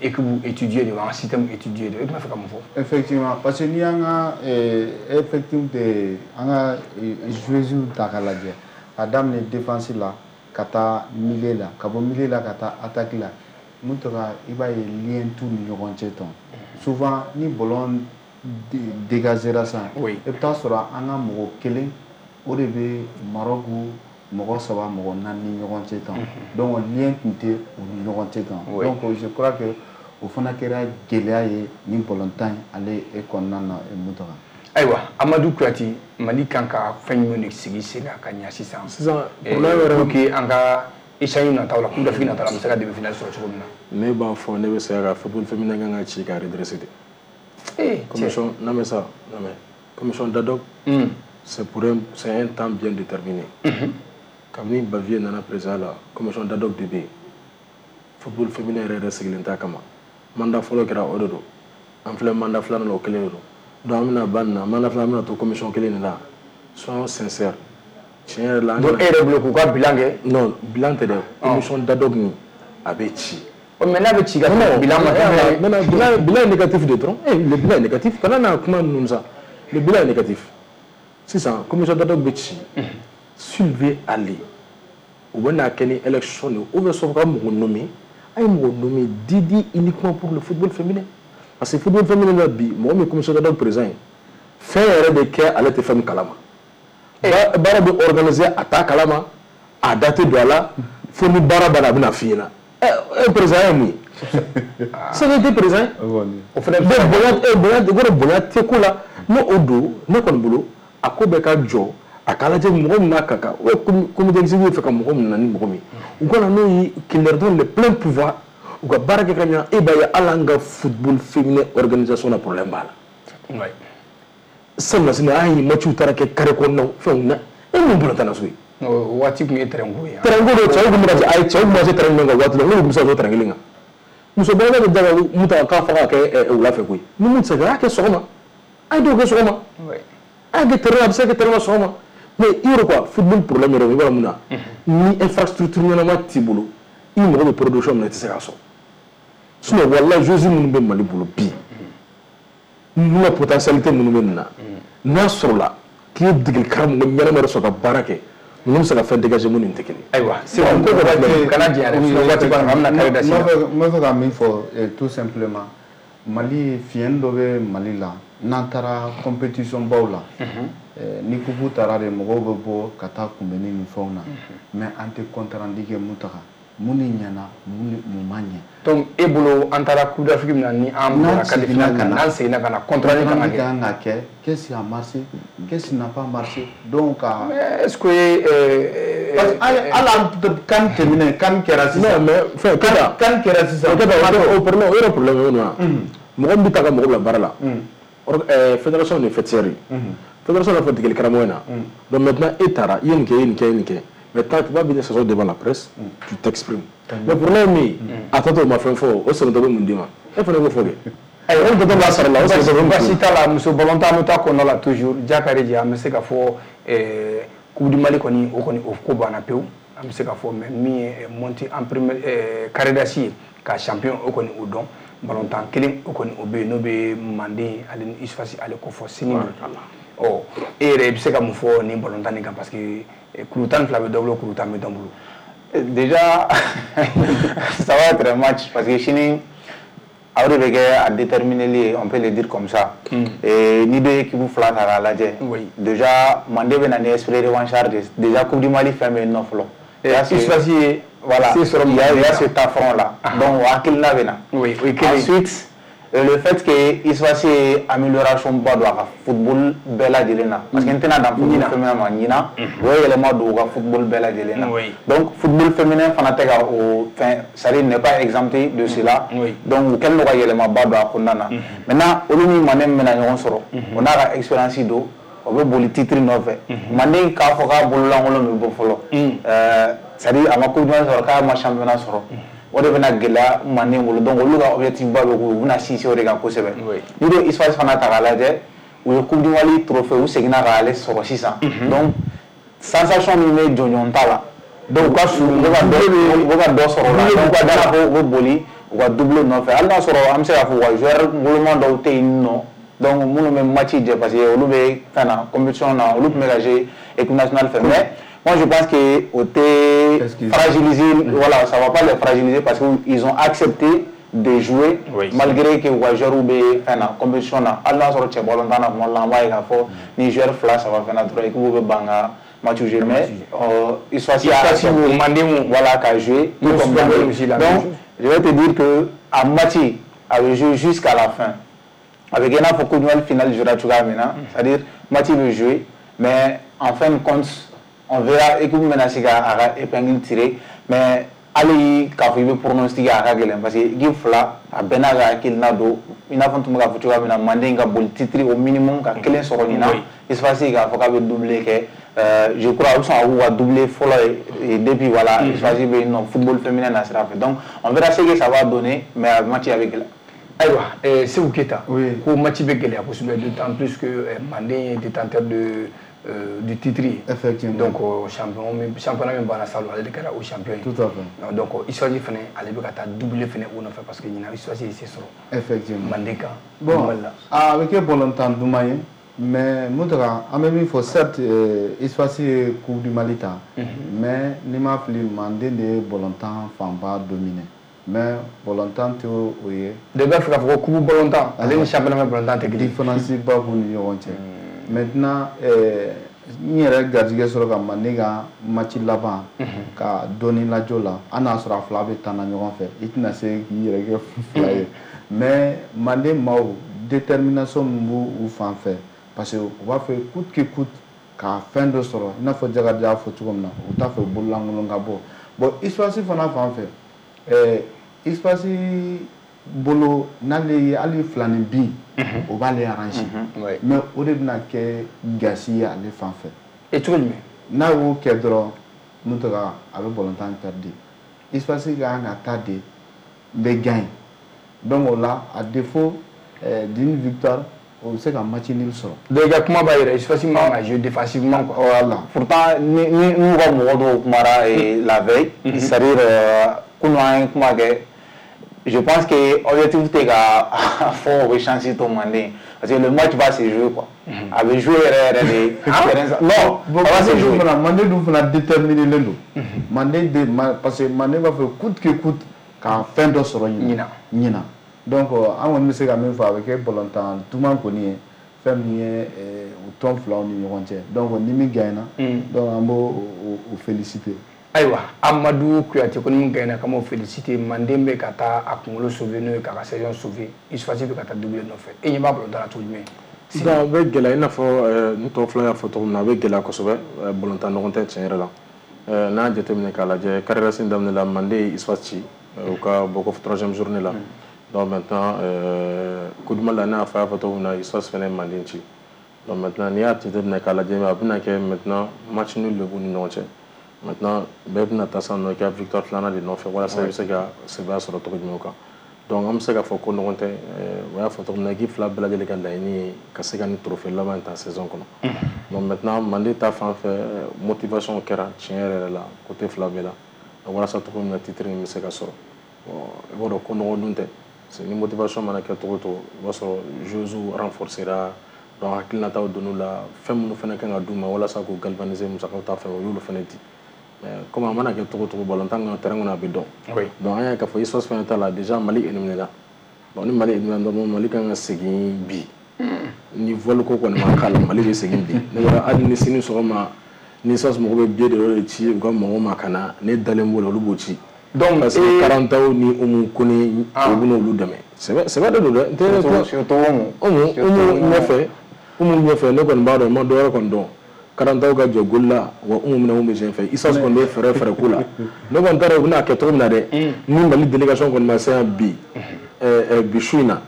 équipe étudier de, an système étudier de, e tun b'a fɛ ka mun fɔ? Effectivement, parce que n'i y'an ka effectif de an ka joueuses ta k'a lajɛ, ka daminɛ défense la ka taa milieu la, ka bɔ milieu la ka taa attaque la, mun tɔgɔ, i b'a ye lien t'u ni ɲɔgɔn cɛ tɔn. Souvent ni ballon dégagera sisan, i bɛ taa sɔrɔ an ka mɔgɔ kelen o de bɛ Maroc mɔgɔ saba, mɔgɔ naani ni ɲɔgɔn cɛ tan. Donc lien tun tɛ u ni ɲɔgɔn cɛ tan. Donc je crois que o fana kɛra gɛlɛya ye ni balontan in ale e kɔnɔna na mun tɔgɔ. Ayiwa, Amadu Kuyate, Mali kan ka fɛn jumɛn de sigi sen kan ka ɲɛ sisan sisan problème yɛrɛ pour que an ka échange nataw la, Coupe d'Afrique nataw la, an bɛ se ka demi-finale sɔrɔ cogo min na? Ne b'a fɔ, ne bɛ se ka football féminin kan ka ci ka redresser de. Eh, commission, non mais ça, non mais commission d'ad hoc, c'est pour un, c'est un temps bien déterminé. Kabini Bavier nana président la, commission d'ad hoc de bɛ yen. Football féminin yɛrɛ yɛrɛ sigilen t'a kama. Mandat fɔlɔ kɛra o de don, an filɛ mandat filanan la, o kelen de don. Donc an bɛna ban nin na, mandat filanan, an bɛna to commission kelen de la. Soyons sincères, tiɲɛ yɛrɛ la. Donc e yɛrɛ bolo k'u ka bilan kɛ? Non, bilan tɛ dɛ, commission d'ad hoc nin a bɛ ci. Mais n'a bɛ ci ka sɔrɔ bilan ma kɛ. Maintenant bilan bilan est négatif de dɔrɔn. Eh, le bilan est négatif, kana na kuma ninnu sa, le bilan est négatif. Sisan commission d'ad hoc bɛ ci. Sylvie Ali, u bɛ n'a kɛ ni élection de ye, ou bien sauf ka mɔgɔ nommé, a ye mɔgɔ nommé dédié uniquement pour le football féminin. Parce que football féminin la bi, mɔgɔ min commission d'ordre président ye, fɛn yɛrɛ de kɛ ale tɛ fɛn min kalama. Baara bɛ organiser a t'a kalama, a da tɛ don a la, fo ni baara banna a bɛna f'i ɲɛna. E président ye mun ye? C'est que tɛ président ye. O fana bonya bonya o bonya tɛ ko la. N'o o don, ne kɔni bolo, a ko bɛɛ ka jɔ, a k'a lajɛ mɔgɔ min n'a ka kan, o ye comité exécutif fɛ ka mɔgɔ min na ni mɔgɔ min ye, u ka na n'o ye, qu'il leur donne le plein pouvoir, u ka baara kɛ ka ɲa. E b'a ye hali an ka football féminin organisation na, problème b'a la. Sabula sini an ye match taara kɛ carré kɔnɔnaw fɛnw na, e mun balontan na so ye? O waati tun ye terrain ko ye. Terrain ko don, cɛw tun bɛ ka ayi cɛw tun bɛ se terrain min kan waati la, n'olu tun bɛ se ka to terrain kelen kan. Muso bɛɛ bɛ da mun ta k'a fɔ k'a kɛ wula fɛ koyi, ni mun tɛ se ka a y'a kɛ sɔgɔma, a ye dɔw kɛ sɔgɔma, a y'a kɛ terrain, a bɛ se ka kɛ terrain sɔgɔma. Mais i yɛrɛ quoi, football problème yɛrɛ i b'a dɔn mun na, ni infrastructure ɲɛnama t'i bolo, i mago bɛ production min na, i tɛ se k'a sɔrɔ. Sinon walahi, joueurs minnu bɛ Mali bolo bi, n'u ka potentialité minnu bɛ nin na, n'a sɔrɔla k'i ye degeli karamɔgɔ ɲɛnama yɛrɛ sɔrɔ ka baara kɛ, ninnu bɛ se ka fɛn dégager minnu tɛ kelen. Ayiwa, Segu ko waati kana janya dɛ, sinon waati b'a la, an bɛna carré da sisan. N bɛ fɛ ka min fɔ tout simplement, Mali fiɲɛ dɔ bɛ Mali la, n'an taara compétition baw la, ni coupe taara de, mɔgɔw bɛ bɔ ka taa kunbɛnni ni fɛnw na, mais an tɛ compte rendu kɛ mun taga, mun de ɲɛna, mun mun ma ɲɛ. Donc e bolo, an taara Coupe d'Afrique min na, ni an bɔra quart de finale na, n'an seginna ka na, compte rendu kan ka kɛ. Kan ka kɛ, qu'est-ce qui a marché, qu'est-ce qui n'a pas marché, donc ka. Mais est-ce que. Parce que hali an CAN tɛmɛnen, CAN kɛra sisan. Non mais fɛn Kɛta. CAN kɛra sisan. Kɛta, o problème, o yɛrɛ problème ye o ye mɔgɔ min bɛ taa ka mɔgɔ bila baara la, fédération de faîtière ye. Fédération b'a fɔ degeli karamɔgɔ ɲɛna. Donc maintenant e taara, i ye nin kɛ, i ye nin kɛ, i ye nin kɛ. Maintenant tu vas venir s'asseoir devant la presse, tu t'exprimes. Mais problème min, a tɔ to o ma fɛn fɔ, o sɛbɛntɔ bɛ mun d'i ma? E fana b'o fɔ kɛ. Ayiwa, o tɔ b'a sara la, o sɛbɛntɔ bɛ mun d'i ma? Baasi t'a la, muso balontan an bɛ taa kɔnɔna la toujours. Jakari an bɛ se ka fɔ Coupe du Mali kɔni, o kɔni o ko banna pewu. An bɛ se ka fɔ mais min ye montée en première carré d'as ye ka champion o kɔni o dɔn. Balontan kelen o kɔni o bɛ yen, n'o bɛ Manden ale ni USFAS ale kofɔ sini don. Ɔ e yɛrɛ i bɛ se ka mun fɔ nin balontan nin kan, parce que kuru tan ni fila bɛ dɔ bolo, kuru tan bɛ dɔ bolo. Déjà, ça va être un match parce que sini aw de bɛ kɛ a déterminé, on peut le dire comme ça. Et ni deux équipes fila ta k'a lajɛ. Déjà Manden bɛ na ni esprit revanchard de, déjà Coupe du Mali fɛn bɛ yen nɔ fɔlɔ. USFAS ye voilà, il y a, il y a cet affront là. Donc o hakilina bɛ na. Oui, o ye kelen ye. Ensuite, le fait que USFAS ye amélioration ba don a ka football bɛɛ lajɛlen na, parce que n tɛna dan football féminin ma ɲinan, o ye yɛlɛma don u ka football bɛɛ lajɛlen na. Donc football féminin fana tɛ ka o fɛn, c'est-à-dire n'est pas exempté de cela. Donc u kɛlen don ka yɛlɛmaba don a kɔnɔna na. Maintenant olu ni Manden min bɛna ɲɔgɔn sɔrɔ, o n'a ka expérience don, o bɛ boli titre nɔfɛ. Manden k'a fɔ k'a bololankolon bɛ bɔ fɔlɔ, c'est-à-dire a ma coupe du monde sɔrɔ, k'a ma championnat sɔrɔ. O de bɛna gɛlɛya Manden bolo, donc olu ka objectif ba bɛ k'u bɛna sinsin o de kan kosɛbɛ. N'i ye USFAS fana ta k'a lajɛ, u ye Coupe du Mali trophée u seginna k'ale sɔrɔ sisan. Donc sensation min bɛ jɔnjɔn ta la, donc u ka su u bɛ ka dɔ u bɛ ka dɔ sɔrɔ o la, donc ka da la ko u bɛ boli u ka double nɔfɛ. Hali n'a sɔrɔ an bɛ se k'a fɔ u ka joueur woloma dɔw tɛ yen nɔ, donc minnu bɛ match jɛ parce que olu bɛ fɛn na compétition na, olu tun bɛ ka jouer équipe nationale fɛ, mais moi je pense que au té fragiliser, voilà, ça va pas les fragiliser parce qu'ils ont accepté de jouer, oui, malgré que u ka joueur bɛ fɛn na compétition na. Hali n'a sɔrɔ cɛ balontan na kuma dɔ la, an b'a ye k'a fɔ ni joueur fila saba fɛn na dɔrɔn équipe bɛ ban ka match jouer, mais USFAS a accepté Manden voilà ka jouer tout comme Manden. Donc je vais te dire que a match a bɛ jouer jusqu'à la fin. A bɛ kɛ i n'a fɔ Coupe du Mali finale jouera cogoya min na, c'est-à-dire match bɛ jouer, mais en fin de compte on verra équipe bɛna se ka a ka épingle tirer, mais hali k'a fɔ i bɛ pronostic a ka gɛlɛn parce que équipe fila a bɛɛ n'a ka hakilina don. I n'a fɔ n tun bɛ k'a fɔ cogoya min na, Manden ka boli titre au minimum ka kelen sɔrɔ ɲinan, USFAS k'a fɔ k'a bɛ doubler kɛ, je crois a bɛ sɔn ka k'u ka doubler fɔlɔ ye depuis voilà USFAS bɛ yen nɔ football féminin na sira fɛ. Donc on verra ce que ça va donner, mais a match a bɛ gɛlɛya. Ayiwa, Seku Keyita, ko match bɛ gɛlɛya kosɛbɛ, d'autant plus que Manden ye détenteur de Euh, du titre. Effectivement. Donc champion championnat min banna salon, ale de kɛra o champion ye. Tout à fait. Donc USFAS fana ale bɛ ka taa doublé fana o nɔfɛ parce que ɲinan USFAS ye se sɔrɔ. Effectivement. Manden kan. Bon, a bɛ kɛ balontan duman ye, mais Mountaga an bɛ min fɔ, certes USFAS ye Coupe du Mali ta, mais n'i ma fili Manden de ye balontan fanba dominé. Mais balontan tɛ o ye. De b'a fɛ k'a fɔ ko coupe balontan ale ni championnat balontan tɛ kelen. Différence ba b'u ni ɲɔgɔn cɛ. Maintenant ɛɛ n yɛrɛ garijɛgɛ sɔrɔ ka Manden ka match laban ka dɔɔni lajɔ la, hali n'a sɔrɔ a fila bɛ taa na ɲɔgɔn fɛ, i tɛna se k'i yɛrɛ kɛ fila ye. Mais Manden maaw, détermination min b'u fan fɛ, parce que u b'a fɛ coûte que coûte ka fɛn dɔ sɔrɔ, i n'a fɔ Jakarija y'a fɔ cogo min na, u t'a fɛ bololankolon ka bɔ. Bon, USFAS fana fan fɛ, ɛɛ USFAS bolo n'ale ye hali filanin bin, o b'ale arranger, mais o de bɛna kɛ gasi ye ale fan fɛ. E cogo jumɛn? N'a y'o kɛ dɔrɔn, Mountaga, a bɛ balontan perdu. USFAS ka kan ka taa de n bɛ gagner, donc o la à défaut euh, d'une victoire, o bɛ se ka match nul sɔrɔ. Donc i ka kuma b'a yira USFAS man ka jouer défensivement quoi. Voilà. Pourtant ni ni n'u ka mɔgɔ dɔw kumara la veille, c'est-à-dire kunun an ye kuma kɛ, je pense que objectif tɛ ka fɔ o bɛ chance to Manden, parce que le match va se jouer quoi. A bɛ jouer yɛrɛ yɛrɛ de. Non, bon, ça va se jouer. Manden dun fana déterminé len don. Manden de parce que Manden b'a fɛ coûte que coûte ka fɛn dɔ sɔrɔ ɲina ɲina. Donc an kɔni bɛ se ka min fɔ, a bɛ kɛ balontan duman kɔni ye, fɛn min ye u tɔn filaw ni ɲɔgɔn cɛ. Donc ni min gagnera, donc an b'o o féliciter. Ayiwa, Amadou Kouyaté ko ni min gagnera k'an b'o féliciter. Manden bɛ ka taa a kunkolo sauver, n'o ye k'a ka saison sauver. USFAS bɛ ka taa doublé nɔfɛ. E ɲɛ b'a balontan na cogo jumɛn? Donc a bɛ gɛlɛya, i n'a fɔ n tɔ fila y'a fɔ cogo min na, a bɛ gɛlɛya kosɛbɛ. Balontan ɲɔgɔn tɛ tiɲɛ yɛrɛ la. N'an y'a jateminɛ k'a lajɛ, carrière sen daminɛ la, Manden ye USFAS ci u ka bɔ ko troisième journée la. Donc maintenant Coupe du Mali la, n'a y'a fɔ a y'a fɔ cogo min na, USFAS fana ye Manden ci. Donc maintenant n'i y'a jateminɛ k'a lajɛ, a bɛna kɛ maintenant match nul de b'u ni ɲɔgɔn cɛ. Maintenant bɛɛ bɛna taa sisan nɔ i ka victoire filanan de nɔfɛ walasa i bɛ se ka sɛbɛya sɔrɔ cogo jumɛn kan. Donc an bɛ se k'a fɔ ko ɲɔgɔn tɛ, o y'a fɔ cogo min na, équipe fila bɛɛ lajɛlen ka laɲini ye ka se ka nin trophée laban in ta saison kɔnɔ. Donc maintenant Manden ta fan fɛ, motivation kɛra tiɲɛ yɛrɛ yɛrɛ la côté fila bɛɛ la walasa cogo min na titre in bɛ se ka sɔrɔ. Bon, i b'a dɔn ko nɔgɔ dun tɛ, parce que ni motivation mana kɛ cogo o cogo, i b'a sɔrɔ joueurs renforcera, donc hakilinataw donn'u la, fɛn minnu fana kan ka d'u ma walasa k'u galvaniser musakaw ta fɛ, o y'olu fana di. Comme a mana kɛ cogo o cogo, balontan kan terrain kɔnɔ a bɛ dɔn. Donc an y'a ye k'a fɔ USFAS fana ta la, déjà Mali éliminé la. Donc ni Mali éliminé dɔrɔn, Mali kan ka segin bi. Ni vol ko kɔni ma k'a la, Mali bɛ segin bi. Ne b'a hali ni sini sɔgɔma ni USFAS mɔgɔw bɛ billet dɔ de ci u ka mɔgɔw ma ka na, ne dalen b'o la, olu b'o ci. Donc parce que Karantaw ni Umu Kone, u bɛ n'olu dɛmɛ. Sɛbɛ sɛbɛ de don dɛ. N tɛ surtout Umu. Umu Umu ɲɛfɛ, Umu ɲɛfɛ, ne kɔni b'a dɔn, n ma dɔ wɛrɛ kɔni dɔn. Karantaw ka jɔ goli la, wa Umu minɛ mun bɛ sen fɛ, USFAS kɔni bɛ fɛɛrɛ fɛɛrɛ ko la. Ne kɔni taara u bɛna kɛ cogo min na dɛ, ni Mali délégation kɔni ma se yan bi, ɛɛ bi su in na,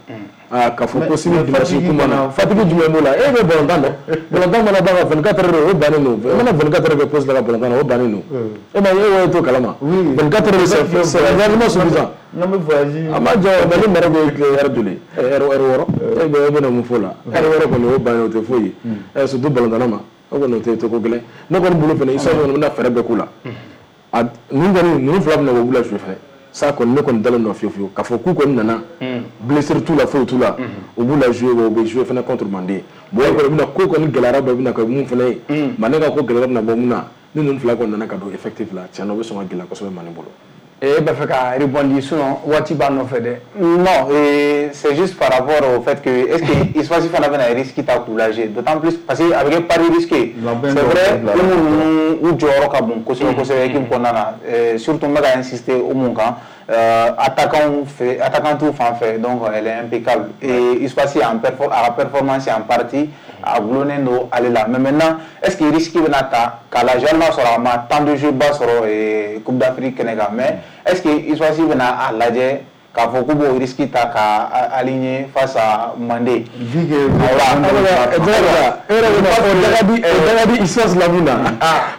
aa k'a fɔ ko sini dimanche kuma na, fatigue jumɛn b'o la? E bɛ balontan dɔn, balontan mana ban ka vingt-quatre heures, o bannen don. I mana vingt-quatre heures kɛ poste la ka balontan na, o bannen don. E ma ye, e t'o kalama. vingt-quatre heures, c'est c'est largement suffisant. N'an bɛ voyage. A ma jɔ, Mali mara bɛ tile heure joli? Heure wɔɔrɔ. E bɛ e bɛna mun fɔ o la? Heure wɔɔrɔ kɔni o bannen, o tɛ foyi ye. Surtout balontanna ma. O kɔni o tɛ ko gɛlɛn. Ne kɔni bolo fana, USFAS kɔni bɛna fɛɛrɛ bɛɛ k'u la. A ninnu kɔni, ninnu fila bɛna u bila jouer fɛnɛ. Ça kɔni ne kɔni dalen don fiyewu fiyewu k'a fɔ k'u kɔni nana, blessure t'u la, foyi t'u la, u b'u la jouer, wa u bɛ jouer fɛnɛ contre Manden. Bon, e kɔni bɛna ko kɔni gɛlɛyara dɔ bɛna kɛ mun fɛnɛ ye, Manden ka ko gɛlɛyara bɛna bɔ mun na, ni ninnu fila kɔni nana ka don effectif la, tiɲɛ na o bɛ sɔn ka gɛlɛya kosɛbɛ Manden bolo. E b'a fɛ ka rebondir, sinon waati b'a nɔfɛ dɛ. Non, c'est juste par rapport au fait que est-ce que USFAS fana bɛna risque ta k'u lajɛ, d'autant plus parce que a bɛ kɛ pari risqué. C'est vrai, Umu ninnu u jɔyɔrɔ ka bon kosɛbɛ kosɛbɛ équipe kɔnɔna na, surtout n bɛ ka insister Umu kan, attaquant fɛ, attaquant t'u fan fɛ, donc elle est impeccable et USFAS en perfor a ka performance en partie a gulonnen don ale la. Mais maintenant est-ce que risque bɛna ta k'a lajɛ, hali n'a sɔrɔ a ma temps de jeu ba sɔrɔ Coupe d'Afrique kɛnɛ kan, mais est-ce que USFAS bɛna a lajɛ k'a fɔ k'u b'o risque ta k'a aligner face à Manden? Vu que e yɛrɛ bɛna fɔ Dagadi, Dagadi USFAS la mun na,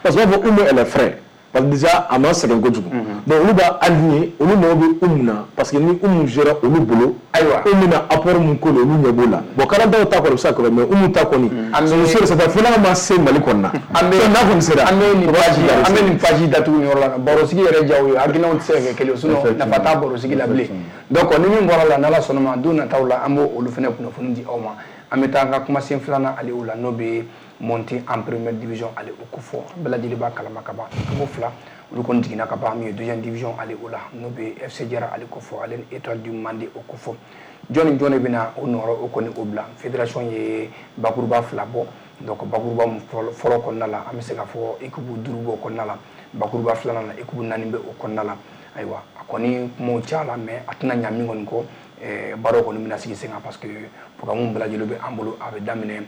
parce que u b'a fɔ Umu elle est frais. Parce que déjà a ma sɛgɛn kojugu. Donc olu b'a aligner, olu mago bɛ Umu na, parce que ni Umu gérera olu bolo, ayiwa, Umu bɛna apport mun k'o la, olu ɲɛ b'o la. Bon, Karantaw ta kɔni bɛ se ka kɛ, mais Umu ta kɔni, c'est sûr, c'est fo n'a ma se Mali kɔni na. An bɛ n'a kɔni sera, an bɛ nin page an bɛ nin page datugu nin yɔrɔ la. Barosigi yɛrɛ diya o ye, hakilinaw tɛ se ka kɛ kelen ye, sinon nafa t'a barosigi la bilen. Donc ni min bɔra la, n'Ala sɔnna ma, don nataw la an b'o olu fana kunnafoni di aw ma. An bɛ taa an ka kumasen filanan ale o la, n'o bɛ monter en première division ale o ko fɔ bɛɛ lajɛlen b'a kalama ka ban. Équipe fila Olu kɔni jiginna ka ban min ye deuxième division ale o la, n'o bɛ F C Jara ale kofɔ, ale ni Étoile du Mande o kofɔ. Jɔn ni jɔn de bɛna o nɔrɔ o kɔni o bila? Fédération ye bakuruba fila bɔ. Donc bakuruba mun fɔlɔ kɔnɔna la, an bɛ se k'a fɔ équipe duuru b'o kɔnɔna la. Bakuruba filanan na, équipe naani bɛ o kɔnɔna la. Ayiwa, a kɔni kumaw caya, mais a tɛna ɲa min kɔni kɔ, baaraw kɔni bɛna sigi sen kan, parce que programme bɛɛ lajɛlen bɛ an bolo. A bɛ daminɛ,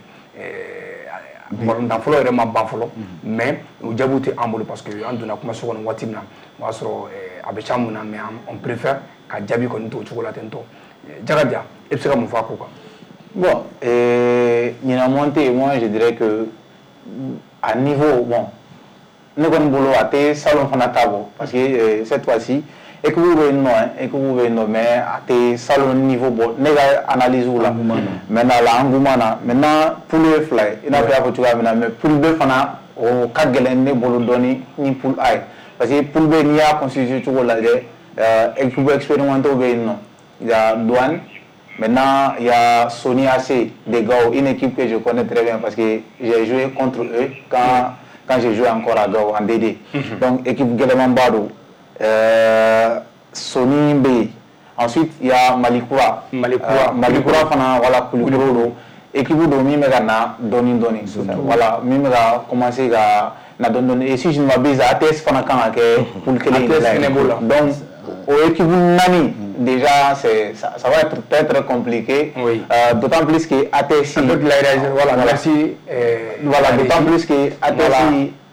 balontan fɔlɔ yɛrɛ ma ban fɔlɔ, mais o jaabiw tɛ an bolo, parce que an donna kumaso kɔnɔ waati min na, o y'a sɔrɔ a bɛ ca mun na, mais on préfère ka jaabi kɔni to o cogo la ten tɔ. Jakaja, e bɛ se ka mun fɔ a ko kan? Bon, euh, ɲinan montée, moi je dirais que à niveau, bon, ne kɔni bolo a tɛ salon fana ta bɔ, parce que euh, cette fois-ci équipe bɛ yen nɔ, équipe bɛ yen nɔ, mais a tɛ salon niveau bɔ ne ka analyse la. Maintenant la engouement na, maintenant poule ye fila ye, i n'a fɔ i y'a fɔ cogoya min na, mais poule B fana o ka gɛlɛn ne bolo dɔɔni ni poule A ye, parce que poule B, n'i y'a constitué cogo lajɛ, euh, équipe expérimentée bɛ yen nɔ. Il y a Douane. Maintenant, il y a Sony A C de Gao, une équipe que je connais très bien parce que j'ai joué contre eux quand, quand j'ai joué encore à Gao en D D. Mm -hmm. Donc, équipe gɛlɛnmanba don. Euh, Sony bɛ yen. Ensuite, il y a Malikura. Malikura. Euh, Malikura fana, voilà, Kulikoro don. Équipe don min bɛ ka na dɔɔni dɔɔni. Voilà, min bɛ ka commencer ka na dɔɔni dɔɔni. Et si je ne m'abuse, A T S fana kan ka kɛ poule kelen A T S fana b'o la. Donc, o équipe naani, déjà, c'est, ça, ça va être très très compliqué. Oui. Euh, d'autant plus que A T S. Voilà, merci. Euh, voilà, d'autant plus que A T S, voilà,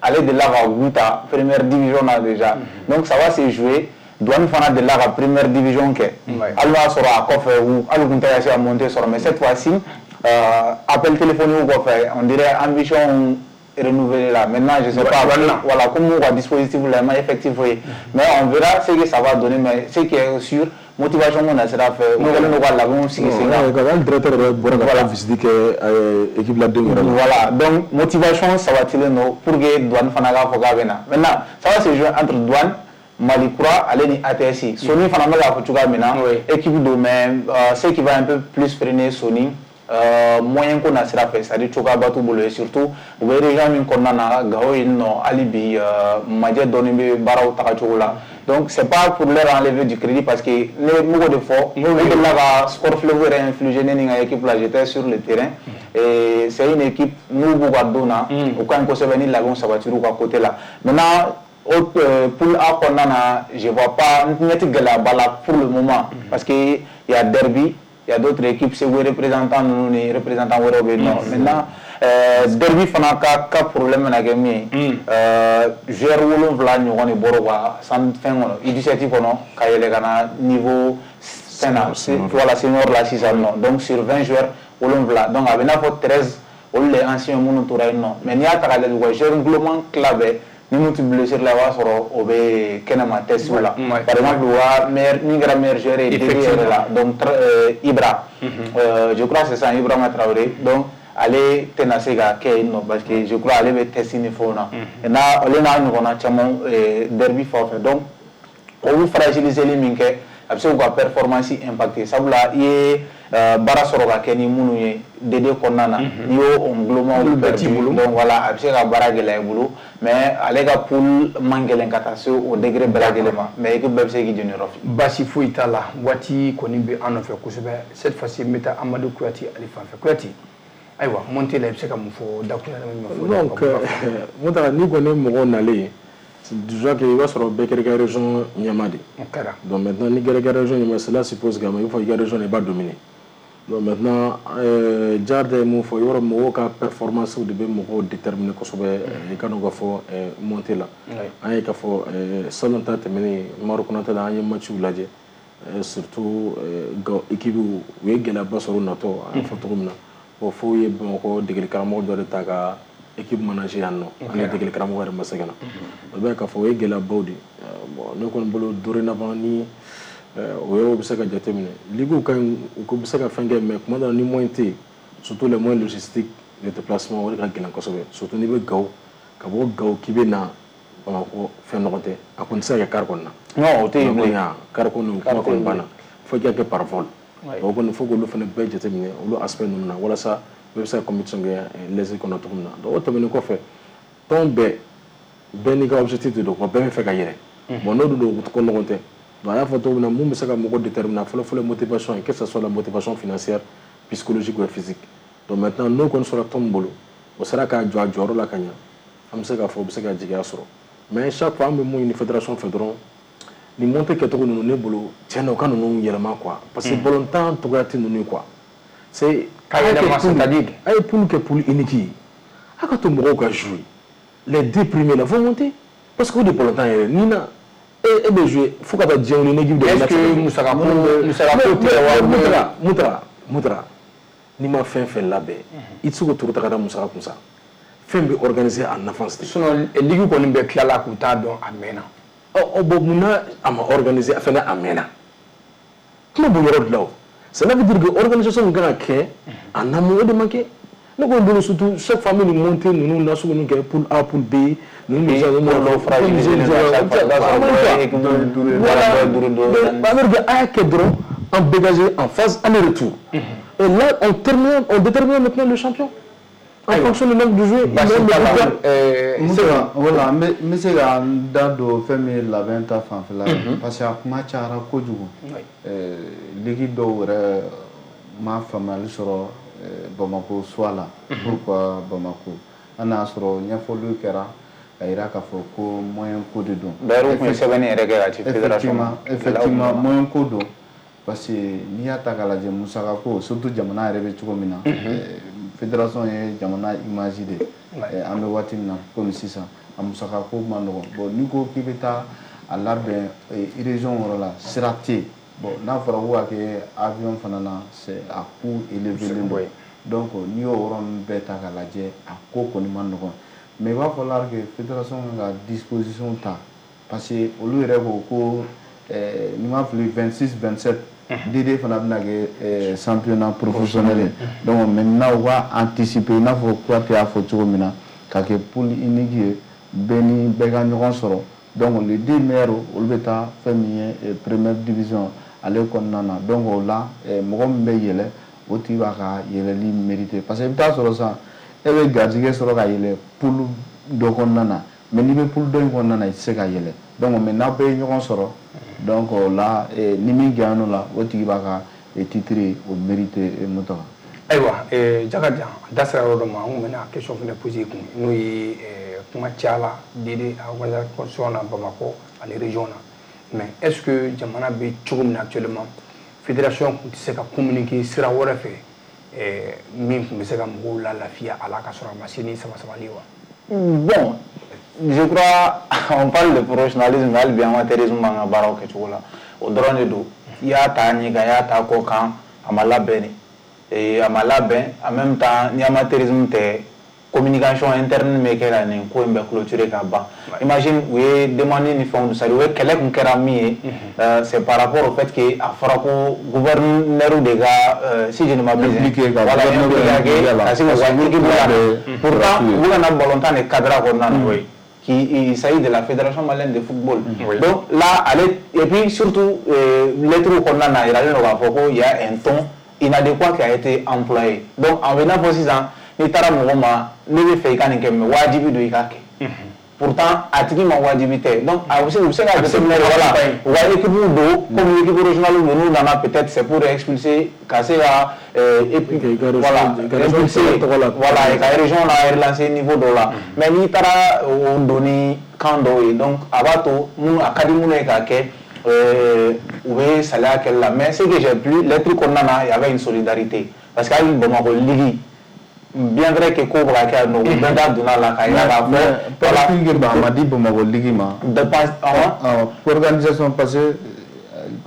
ale delila ka gu ta première division na déjà. Mm -hmm. Donc ça va se jouer. Douane fana delila ka première division kɛ. Hali n'a sɔrɔ a kɔfɛ, u hali kun tɛ ka se ka monter sɔrɔ, mais cette fois-ci, euh, appel téléphonique kɔfɛ, on dirait ambition renouvelée là. Maintenant, je sais ouais, pas. Voilà, voilà, comme on dispositif là, effectif, oui. Mais on verra ce que ça va donner. Mais ce qui est sûr, motivation mun na sira fɛ, u kɛlen don ka labɛnw sigi sen kan. Hali directeur yɛrɛ bɔra ka taa visite kɛ équipe ladenw yɛrɛ la. Voilà, donc motivation sabatilen don pour que Douane fana k'a fɔ k'a bɛ na. Maintenant, ça va se jouer entre Douane, Mali Kura ale ni A T S. Sony fana bɛ k'a fɔ cogoya min na, équipe don, mais euh, ce qui va un peu plus freiner Sony, euh, moyen ko na sira fɛ, c'est à dire cogoyaba t'u bolo, et surtout u bɛ région min kɔnɔna na, Gao yen nɔ, hali bi majɛ dɔɔni bɛ baaraw tagacogo la. Donc c'est pas pour leur enlever du crédit, parce que ne m'o de fɔ, ne delila ka Score Fleuve yɛrɛ infligé ne ni n ka équipe la, j'étais sur le terrain, et c'est une équipe n'u b'u ka don na, u ka ɲi kosɛbɛ ni labɛnw sabatir'u ka côté la. Maintenant, au euh, poule A kɔnɔna na, je vois pas, n ɲɛ tɛ gɛlɛyaba la pour le moment, parce que il y a derby, il y a d'autres équipes, Segu représentant ninnu ni représentant wɛrɛw bɛ yen nɔ. Maintenant, euh, derby fana ka ka problème bɛna kɛ min ye, euh, joueur wolonwula ɲɔgɔn de bɔra u ka san fɛn kɔnɔ, U dix-sept kɔnɔ, ka yɛlɛ ka na niveau fɛn na, voilà, senior la sisan nɔ. Donc sur vingt joueurs, wolonwula, donc a bɛ n'a fɔ treize, olu de ye ancien minnu tora yen nɔ. Mais n'i y'a ta k'a lajɛ, u ka joueur nguloman tila bɛɛ ni mun tɛ blessure la, i b'a sɔrɔ o bɛ kɛnɛma test la. Par exemple, u ka meilleur, min kɛra meilleur joueur ye D D yɛrɛ la, donc euh, Ibra, euh, je crois c'est ça, Ibrahima Traoré, donc ale tɛna se ka kɛ yen nɔ, parce que je crois ale bɛ test ni fɛnw na. N'a ale n'a ɲɔgɔnna caman derby fan fɛ, donc o bɛ fragiliseli min kɛ, a bɛ se k'u ka performance impacter, sabula i ye baara sɔrɔ ka kɛ ni minnu ye D D kɔnɔna na, n'i y'o o ngulomaw perdu, donc voilà, a bɛ se ka baara gɛlɛya i bolo. Mais ale ka poule man gɛlɛn ka taa se o degré bɛɛ lajɛlen ma, mais équipe bɛɛ bɛ se k'i jɔnyɔrɔ fi. Baasi foyi t'a la, waati kɔni bɛ an nɔfɛ kosɛbɛ. Cette fois ci, n bɛ taa Amadu Kuyate ale fan fɛ. Kuyate, ayiwa, montée la, i bɛ se ka mun fɔ dakuruɲɛ ɲɛfɔ? Donc Mutara, n'i kɔni ye mɔgɔw nalen ye, déjà que i b'a sɔrɔ bɛɛ kɛra i ka région ɲɛmaa de. O kɛra. Donc maintenant, n'i kɛra i ka région ɲɛmaa, cela suppose que il faut i ka région i b'a dominer. Donc maintenant, euh, Jarda ye mun fɔ, yɔrɔ mɔgɔw ka performance de bɛ mɔgɔw déterminer kosɛbɛ. I ka dɔn k'a fɔ montée la, an ye k'a fɔ salon ta tɛmɛnen Maroc Konate la, an ye match lajɛ, surtout Gao équipe u ye gɛlɛyaba sɔrɔ u natɔ, an y'a fɔ cogo min na. Bon, fo ye Bamakɔ degeli karamɔgɔ dɔ de ta ka équipe manager yan nɔ, ani degeli karamɔgɔ yɛrɛ ma se ka na. O bɛ k'a fɔ o ye gɛlɛyabaw de ye. Bon, ne kɔni bolo, dorénavant ni o yɔrɔ bɛ se ka jateminɛ, ligue ka ɲi, u bɛ se ka fɛn kɛ, mais kuma dɔ la ni moyen tɛ yen, surtout les moyens logistiques de déplacement, o de ka gɛlɛn kosɛbɛ, surtout n'i bɛ Gao, ka bɔ Gao k'i bɛ na Bamakɔ, fɛn nɔgɔ tɛ, a kɔni tɛ se ka kɛ car kɔni na. Non, o tɛ yen bilen. Car kɔni, o kuma kɔni banna, fo i ka kɛ par vol. O kɔni, fo k'olu fana bɛɛ jateminɛ, olu aspect ninnu na, walasa bɛɛ bɛ se ka compétition kɛ l'aise kɔnɔ cogo min na. Donc o tɛmɛnen kɔfɛ, tɔn bɛɛ Bɛɛ n'i ka objectif de don quoi, bɛɛ bɛ fɛ ka yɛlɛ. Bon, n'o dun don, ko nɔgɔn tɛ. Donc a y'a fɔ cogo min na, mun bɛ se ka mɔgɔ déterminer fɔlɔ fɔlɔ, motivation, que ce soit la motivation financière, psychologique ou physique. Donc maintenant, n'o kɔni sɔrɔ tɔn min bolo, o sera k'a jɔ a jɔyɔrɔ la ka ɲɛ, an bɛ se k'a fɔ o bɛ se ka jigiya sɔrɔ. Mais chaque fois, an bɛ mun ɲini fédération fɛ dɔrɔn, nin montée kɛcogo ninnu, ne bolo, tiɲɛ na, u ka ninnu yɛlɛma quoi, parce que balontan togoya tɛ ninnu ye quoi. C'est Ka yɛlɛma, c'est-à-dire? A ye poule kɛ poule unique ye, a ka to mɔgɔw ka jouer, les deux premiers là vont monter, parce que o de balontan yɛrɛ ni na e e bɛ jouer fo ka taa diɲɛ wuli ni équipe de. Est-ce que musakako musakako tɛ wa? Mutara, Mutara, Mutara, n'i ma fɛn fɛn labɛn, i tɛ se k'o turu ta ka da musaka kun sa. Fɛn bɛ organiser en avance de. Sinon ligue kɔni bɛɛ tilala k'u t'a dɔn a mɛnna. Ɔ, bon, munna a ma organiser a fɛnɛ a mɛnna? Kuma b'o yɔrɔ de la o. Cela veut dire que organisation min kan ka kɛ en amont, o de ma kɛ. Ne kɔni bolo, surtout chaque fois an bɛ nin montée ninnu nasugu ninnu kɛ, poule A, poule B ninnu bɛ se dɔw fragiliser chaque fois, i b'a sɔrɔ dɔ ye équipe voilà dɔ ye duuru, dɔ ye donc ça veut dire que a y'a kɛ dɔrɔn en dégagé en phase aller-retour, et là on termine, on détermine maintenant le champion en fonction du nombre de joueurs. Basi t'a la. ɛɛ Musa, voilà, n bɛ n bɛ se ka n da don fɛn min ye labɛn ta fanfɛla ye, parce que a kuma cayara kojugu. Ɛɛ ligue dɔw yɛrɛ ma faamuyali sɔrɔ ɛɛ Bamako choix la. Pourquoi Bamako? Hali n'a y'a sɔrɔ ɲɛfɔliw kɛra ka yira k'a fɔ ko moyen ko de don. D'ailleurs, u tun ye sɛbɛnni yɛrɛ kɛ ka ci fédération ma. Effectivement, effectivement, moyen ko don, parce que n'i y'a ta k'a lajɛ, musaka ko, surtout jamana yɛrɛ bɛ cogo min na, ɛɛ fédération ye jamana image de ye. An bɛ waati min na komi sisan, a musaka ko ma nɔgɔn. Bon, n'i ko k'i bɛ taa a labɛn région yɔrɔ la, sira tɛ yen. Bon, n'a fɔra ko ka kɛ avion fana na, c'est a coût élevé don. Donc n'i y'o yɔrɔ ninnu bɛɛ ta k'a lajɛ, a ko kɔni ma nɔgɔn. Mais il va falloir que fédération ka disposition ta, parce que olu yɛrɛ ko ko ɛɛ n'i ma fili, vingt-six vingt-sept D D fana bɛna kɛ championnat professionnel ye. Donc maintenant, u ka anticiper, i n'a fɔ Kuyate y'a fɔ cogo min na, ka kɛ poule unique ye, bɛɛ ni bɛɛ ka ɲɔgɔn sɔrɔ. Donc les deux meilleurs, olu bɛ taa fɛn min ye première division ale kɔnɔna na. Donc o la, mɔgɔ min bɛ yɛlɛ, o tigi b'a ka yɛlɛli mériter, parce que i bɛ taa sɔrɔ sisan, e bɛ garijɛgɛ sɔrɔ ka yɛlɛ poule dɔ kɔnɔna na, mais n'i bɛ poule dɔ in kɔnɔna na, i tɛ se ka yɛlɛ. Donc mais n'aw bɛɛ ye ɲɔgɔn sɔrɔ, donc o la, ni min gagne o la, o tigi b'a ka titre o mériter. Mutaga. Ayiwa, Jakarija, an da sera yɔrɔ dɔ ma, an kun bɛna question fana poser i kun, n'o ye kuma cayala D D organisation na Bamakɔ ani région na. Mais est ce que jamana bɛ cogo min na actuellement, fédération tun tɛ se ka communiquer sira wɛrɛ fɛ min tun bɛ se ka mɔgɔw la lafiya a la, ka sɔrɔ a ma se ni sama samali wa? Bon, je crois, on parle de professionnalisme, mais hali bi amateurisme b'an ka baaraw kɛcogo la. O dɔrɔn de don. I y'a ta ɲɛ kan, i y'a ta kɔ kan, a ma labɛn de. A ma labɛn, en même temps, ni amateurisme tɛ, communication interne bɛ kɛ ka nin ko in bɛɛ clôturer ka ban. Imagine, u ye demande ni fɛnw, c'est à dire u ye kɛlɛ kun kɛra min ye, c'est par rapport au fait que a fɔra ko gouverneur de ka, si je ne m'abuse, voilà, impliqué ka se k'u ka équipe la. Pourtant, u bɛ ka na balontan de cadre kɔnɔna na. Qui, il s'agit de la Fédération malienne de football. Oui. Donc là, allez, et puis surtout, euh, lettre kɔnɔna na, yiralen don k'a fɔ ko il y a un ton inadéquat qui a été employé. Donc en venant fɔ sisan, n'i taara mɔgɔ ma, ne bɛ fɛ i ka nin kɛ, mais wajibi don i ka kɛ. Pourtant, a tigi ma wajibi tɛ. Donc a bɛ se u bɛ se ka jateminɛ, voilà, u ka équipe don comme équipe régionale don, n'u nana, peut-être c'est pour expulser ka se ka et puis voilà, impulser, voilà, ka région la relancer niveau dɔ la. Mais n'i taara o don ni kan dɔw ye, donc a b'a to minnu a ka di minnu ye k'a kɛ, u bɛ saliya kɛli la. Mais ce que j'ai plu, lettre kɔnɔna na, il y avait une solidarité, parce que hali Bamakɔ ligue, bien vrai que ko bɛ ka kɛ yan nɔ, u bɛɛ da donna la k'a yira k'a fɔ. Voilà, a ma di Bamakɔ ligue ma. Dépense awɔ. Organisation, parce que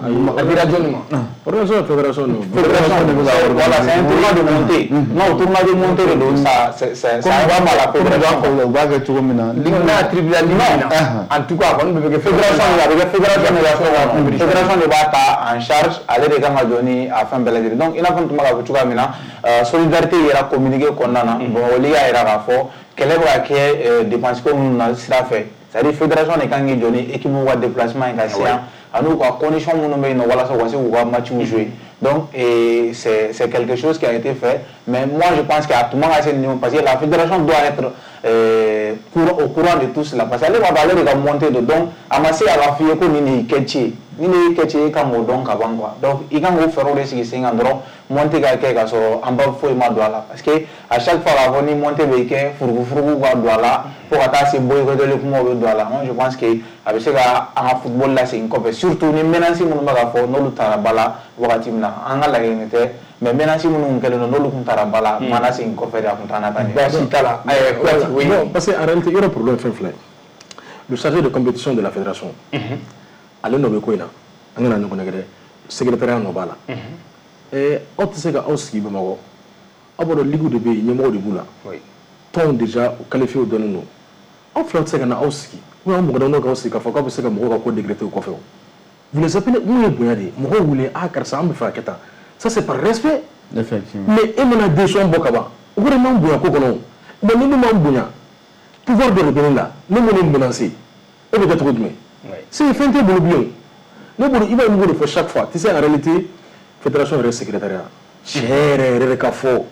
a dira jɔnni ma? Organisation, fédération non. Fédération de bɛ ka voilà, c'est un tournoi de montée. Non, tournoi de montée de don, ça c'est c'est ça va mal la fédération. U b'a kɛ cogo min na. Ligue n'a attribué la ligue na, en tout cas a kɔni bɛ kɛ fédération, a bɛ kɛ fédération de la kɔnɔ. Fédération de b'a ta en charge, ale de kan ka jɔ ni a fɛn bɛɛ lajɛlen. Donc i n'a fɔ n tun bɛ k'a fɔ cogoya min na, solidarité yɛrɛ communiqué kɔnɔna na, Bamakɔ ligue y'a yira k'a fɔ kɛlɛ bɛ ka kɛ dépense ko minnu na sira fɛ, c'est à dire fédération de kan k'i jɔ ni équipe ka déplacement ye ka se yan, ani u ka condition minnu bɛ yen nɔ walasa u ka se k'u ka matchw jouer. Donc c'est c'est quelque chose qui a été fait, mais moi je pense que a tun man ka se nin niveau, parce que la fédération doit être euh, courant, au courant de tout cela parce que ale b'a dɔn ale de ka montée don. Donc a ma se a ka f'i ye ko nin de y'i kɛ ci ye, nin de y'i kɛ ci ye, e kan k'o dɔn ka ban quoi. Donc i kan k'o fɛɛrɛw de sigi sen kan dɔrɔn, montée ka kɛ ka sɔrɔ an ba foyi ma don a la, parce que à chaque fois k'a fɔ ni montée bɛ kɛ, furugufurugu ka don a la fo ka taa se boycoteli kumaw bɛ don a la. Moi, je pense que a bɛ se ka an ka football lasegin kɔfɛ, surtout ni menace minnu bɛ ka fɔ n'olu taara ba la wagati min na. An ka laɲini tɛ, mais menace minnu kɛlen don, n'olu tun taara ba la, ma lasegin kɔfɛ de, a tun t'an na taa ɲɛ. Baasi t'a la. Kuyate, oui. Non, parce que en réalité, yɔrɔ problème fɛn fila ye. Le chargé de compétition de la fédération, ale nɔ bɛ ko in na, an kana ɲɔgɔn nɛgɛ dɛ, secrétariat nɔ b'a la. Ɛɛ aw tɛ se ka aw sigi Bamakɔ, aw b'a dɔn ligue de bɛ yen, ɲɛmɔgɔ de b'u la. Tɔnw déjà qualifié dɔnnen don. Aw fila tɛ se ka na aw sigi ou bien aw mɔgɔ damadɔ k'aw sigi k'a fɔ k'aw bɛ se ka mɔgɔw ka ko décréter o kɔfɛ o. Vous les appelez, mun ye bonya de ye, mɔgɔw wele, ah karisa, an bɛ fɛ ka kɛ tan. Ça, c'est par respect. Effectivement. Mais e mana décision bɔ ka ban, o kɔrɔ m'an bonya ko kɔnɔ o. Bon, ni ne m'an bonya, pouvoir dɔ de bɛ ne la, ne m'o ne menacer, e bɛ kɛ cogo jumɛn? C'est fɛn t'e bolo bilen o. Ne bolo, i b'a ye, n b'o de fɔ chaque fois. Tu sais, en réalité, fédération yɛrɛ secrétariat, tiɲɛ yɛrɛ yɛrɛ ka fɔ,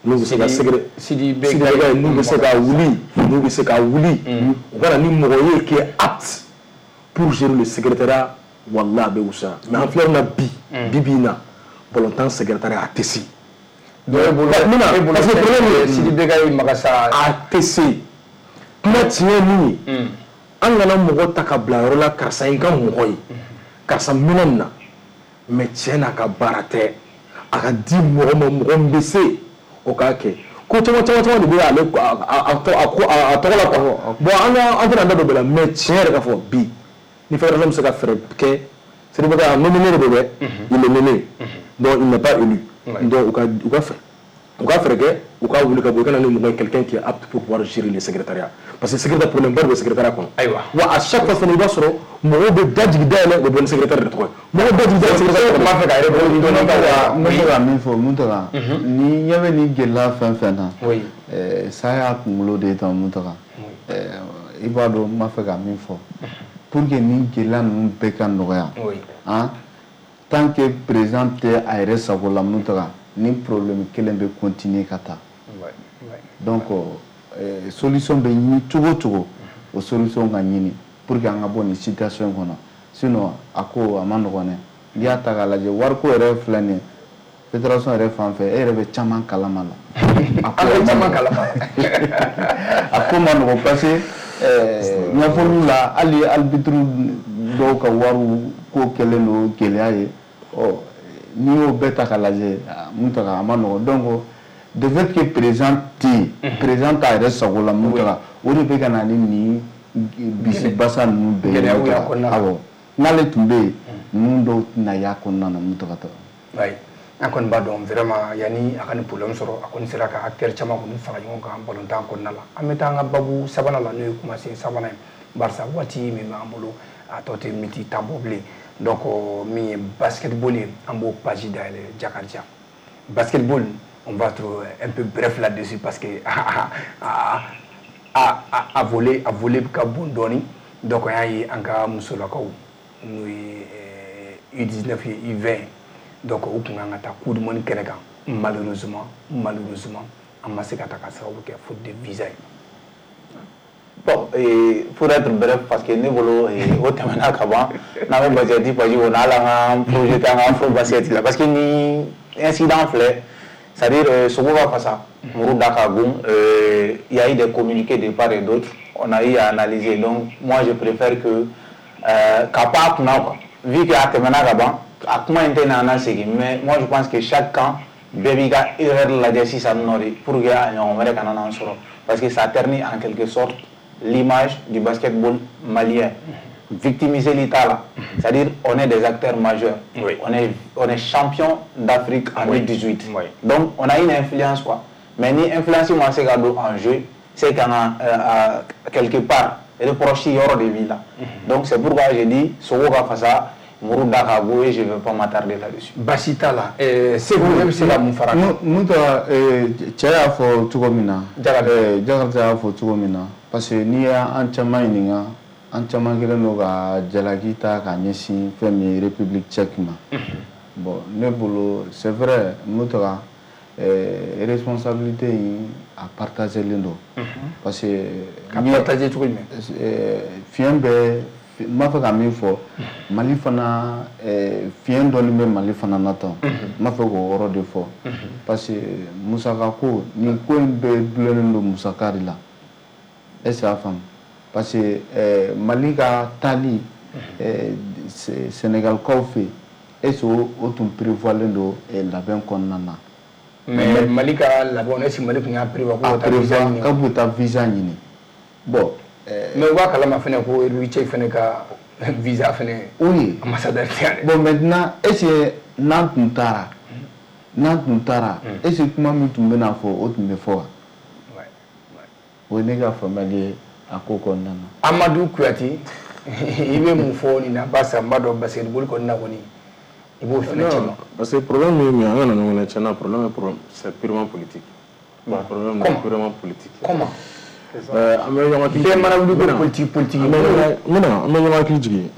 n'u bɛ se ka secré Sidi Sidi Beka, n'u bɛ se ka wuli, n'u bɛ se ka wuli, u ka na ni mɔgɔ ye qui est apte pour gérer le secrétariat, walahi a bɛ wusa. Mais an filɛ na bi, bi bi in na, balontan secrétariat a tɛ se. Dɔ e bolo, n bɛna e bolo. Parce que problème ye Sidi Beka ye Magasa. A tɛ se. Kuma tiɲɛ ye min ye, an kana mɔgɔ ta ka bila yɔrɔ la, karisa ye n ka mɔgɔ ye, karisa minɛ nin na, mais tiɲɛ n'a ka baara tɛ. A ka di mɔgɔ ma, mɔgɔ min bɛ se o k'a kɛ. Ko caman caman caman de bɛ ale a a a tɔgɔ la quoi. Bon, an ka an tɛna an da don bɛɛ la, mais tiɲɛ yɛrɛ ka fɔ bi, ni fédération bɛ se ka fɛɛrɛ kɛ, Sidi Beka nominé de don dɛ, il est nommé, donc il n'est pas élu. Donc u ka u ka fɛ u ka fɛɛrɛ kɛ, u ka wuli ka bɔ, i ka na ni mɔgɔ ye, quelqu'un qui est apte pour pouvoir gérer le secrétariat, parce que secrétaire, problème ba de bɛ secrétariat kɔnɔ. Ayiwa. Wa à chaque fois fana, i b'a sɔrɔ mɔgɔw bɛ dajigi dayɛlɛ, u bɛ bɔ ni secrétaire de tɔgɔ ye, mɔgɔw dajigi dayɛlɛ secrétaire tun b'a fɛ ka rebondir dɔɔni ka N bɛ se ka min fɔ Muntaga, ni ɲɛ bɛ nin gɛlɛya fɛn fɛn na, ɛɛ sa y'a kunkolo de ye tan Muntaga. Ɛɛ i b'a dɔn n b'a fɛ ka min fɔ, pour que nin gɛlɛya ninnu bɛɛ ka nɔgɔya, han, tant que président tɛ a yɛrɛ sago la Muntaga, ni problème kelen bɛ continuer ka taa. Donc euh, solution bɛ ɲini cogo o cogo, o solution ka ɲini pour que an ka bɔ nin situation kɔnɔ. Sinon a ko a ma nɔgɔn dɛ. N'i y'a ta k'a lajɛ, wariko yɛrɛ filɛ nin ye, fédération yɛrɛ fan fɛ, e yɛrɛ bɛ caman kalama la. A ko bɛ caman kalama. A ko ma nɔgɔn, parce que ɲɛfɔliw la, hali arbitre dɔw ka wariw ko kɛlen don gɛlɛya ye. Ɔ n'i y'o bɛɛ ta k'a lajɛ Muntaga, a ma nɔgɔn. Donc de fait que président tɛ yen, président t'a yɛrɛ sago la Muntaga, o de bɛ ka na ni nin bisi basa ninnu bɛɛ ye. Gɛlɛyaw y'a kɔnɔna la. Awɔ, n'ale tun bɛ yen, ninnu dɔw tɛna y'a kɔnɔna na Muntaga ta. Oui, an kɔni b'a dɔn vraiment, yanni a ka nin problème sɔrɔ, a kɔni sera ka acteur caman kɔni fara ɲɔgɔn kan balontan kɔnɔna la. An bɛ taa an ka babu sabanan la, n'o ye kumasen sabanan ye, barisa waati min b'an bolo, a tɔ tɛ miniti tan bɔ bilen. Donc min ye basketball ye, an b'o page dayɛlɛ. Jakarija, basketball, on va être un peu bref là-dessus parce que a a a a volet a volet ka bon dɔɔni. Donc an y'a ye an ka musolakaw, n'o ye U dix-neuf ye, U vingt, donc u kun kan ka taa coupe du monde kɛnɛ kan. Malheureusement, malheureusement, an ma se ka taa ka sababu kɛ faute de visa ye. Bon, et pour être bref, parce que ne bolo o tɛmɛna ka ban, n'an bɛ basket page kɔnɔ, hali an ka projet an ka afro basket la, parce que ni incident filɛ, c'est-à-dire sogo ka fasa, muru da ka gon. Il y a eu des communiqués de part et d'autre, on a eu à analyser. Donc moi, je préfère que euh, ka pan a kunna quoi, vu que a tɛmɛna ka ban, a kuma in tɛ na an segin. Mais moi, je pense que chaque camp bɛɛ b'i ka erreur lajɛ sisan nɔ de, pour que a ɲɔgɔn wɛrɛ kana n'an sɔrɔ, parce que ça ternit en quelque sorte l'image du basketball malien. Victimiser l'État là, c'est-à-dire on est des acteurs majeurs. Oui. On est, on est champion d'Afrique en Oui. deux mille dix-huit. Oui. Donc on a une influence quoi. Mais ni influence moi c'est en jeu, c'est qu'on a euh, quelque part reproché yɔrɔ de b'i la. Donc c'est pourquoi j'ai dit sogo ka fasa, muru da ka go, et je vais pas m'attarder là-dessus. Basi t'a la. ɛɛ Segu, e bɛ se ka mun fara a kan? Mun ta cɛ y'a fɔ cogo min na, Jakarija. Jakarija y'a fɔ cogo min na, parce que n'i y'an caman ɲininka, an caman kɛlen don ka jalaki ta ka ɲɛsin fɛn min ye République tchèque ma. Bon, ne bolo, c'est vrai Mutaga, euh, responsabilité in a partagelen don. Parce que ka partager cogo jumɛn? Fiɲɛ bɛ, n b'a fɛ ka min fɔ, Mali fana, fiɲɛ dɔɔni bɛ Mali fana na tan. N b'a fɛ k'o yɔrɔ de fɔ. Parce que musaka ko, nin ko in bɛɛ dulonnen don musaka de la. Est-ce que a faamu? Parce que Mali ka taali Sénégalkaw fɛ yen, est-ce que o tun prévoilen don labɛn kɔnɔna na? Mais Mali ka labɛn, est-ce que Mali tun y'a prévoir k'u ka taa visa ɲini? K'u bɛ taa visa ɲini. Bon. Mais u b'a kalama fɛnɛ ko République tchèque fɛnɛ ka visa fɛnɛ. Oui. Ambassadeur tɛ yan dɛ. Bon, maintenant, est-ce que n'an tun taara, n'an tun taara, est-ce que kuma min tun bɛna fɔ, o tun bɛ fɔ wa? O ye ne ka faamuyali ye a ko kɔnɔna na. Amadou Kouyaté, i bɛ mun fɔ nin na? Barisa n b'a dɔn basketball kɔni na kɔni, i b'o fɛnɛ cɛma. Parce que problème min ye, an ka na ɲɔgɔn na tiɲɛna, problème est c'est purement politique. Bon, problème est purement politique. Comment? An bɛ ɲɔgɔn hakili. Bɛɛ mana wuli ko politique politique. N bɛna an bɛ ɲɔgɔn hakili jigin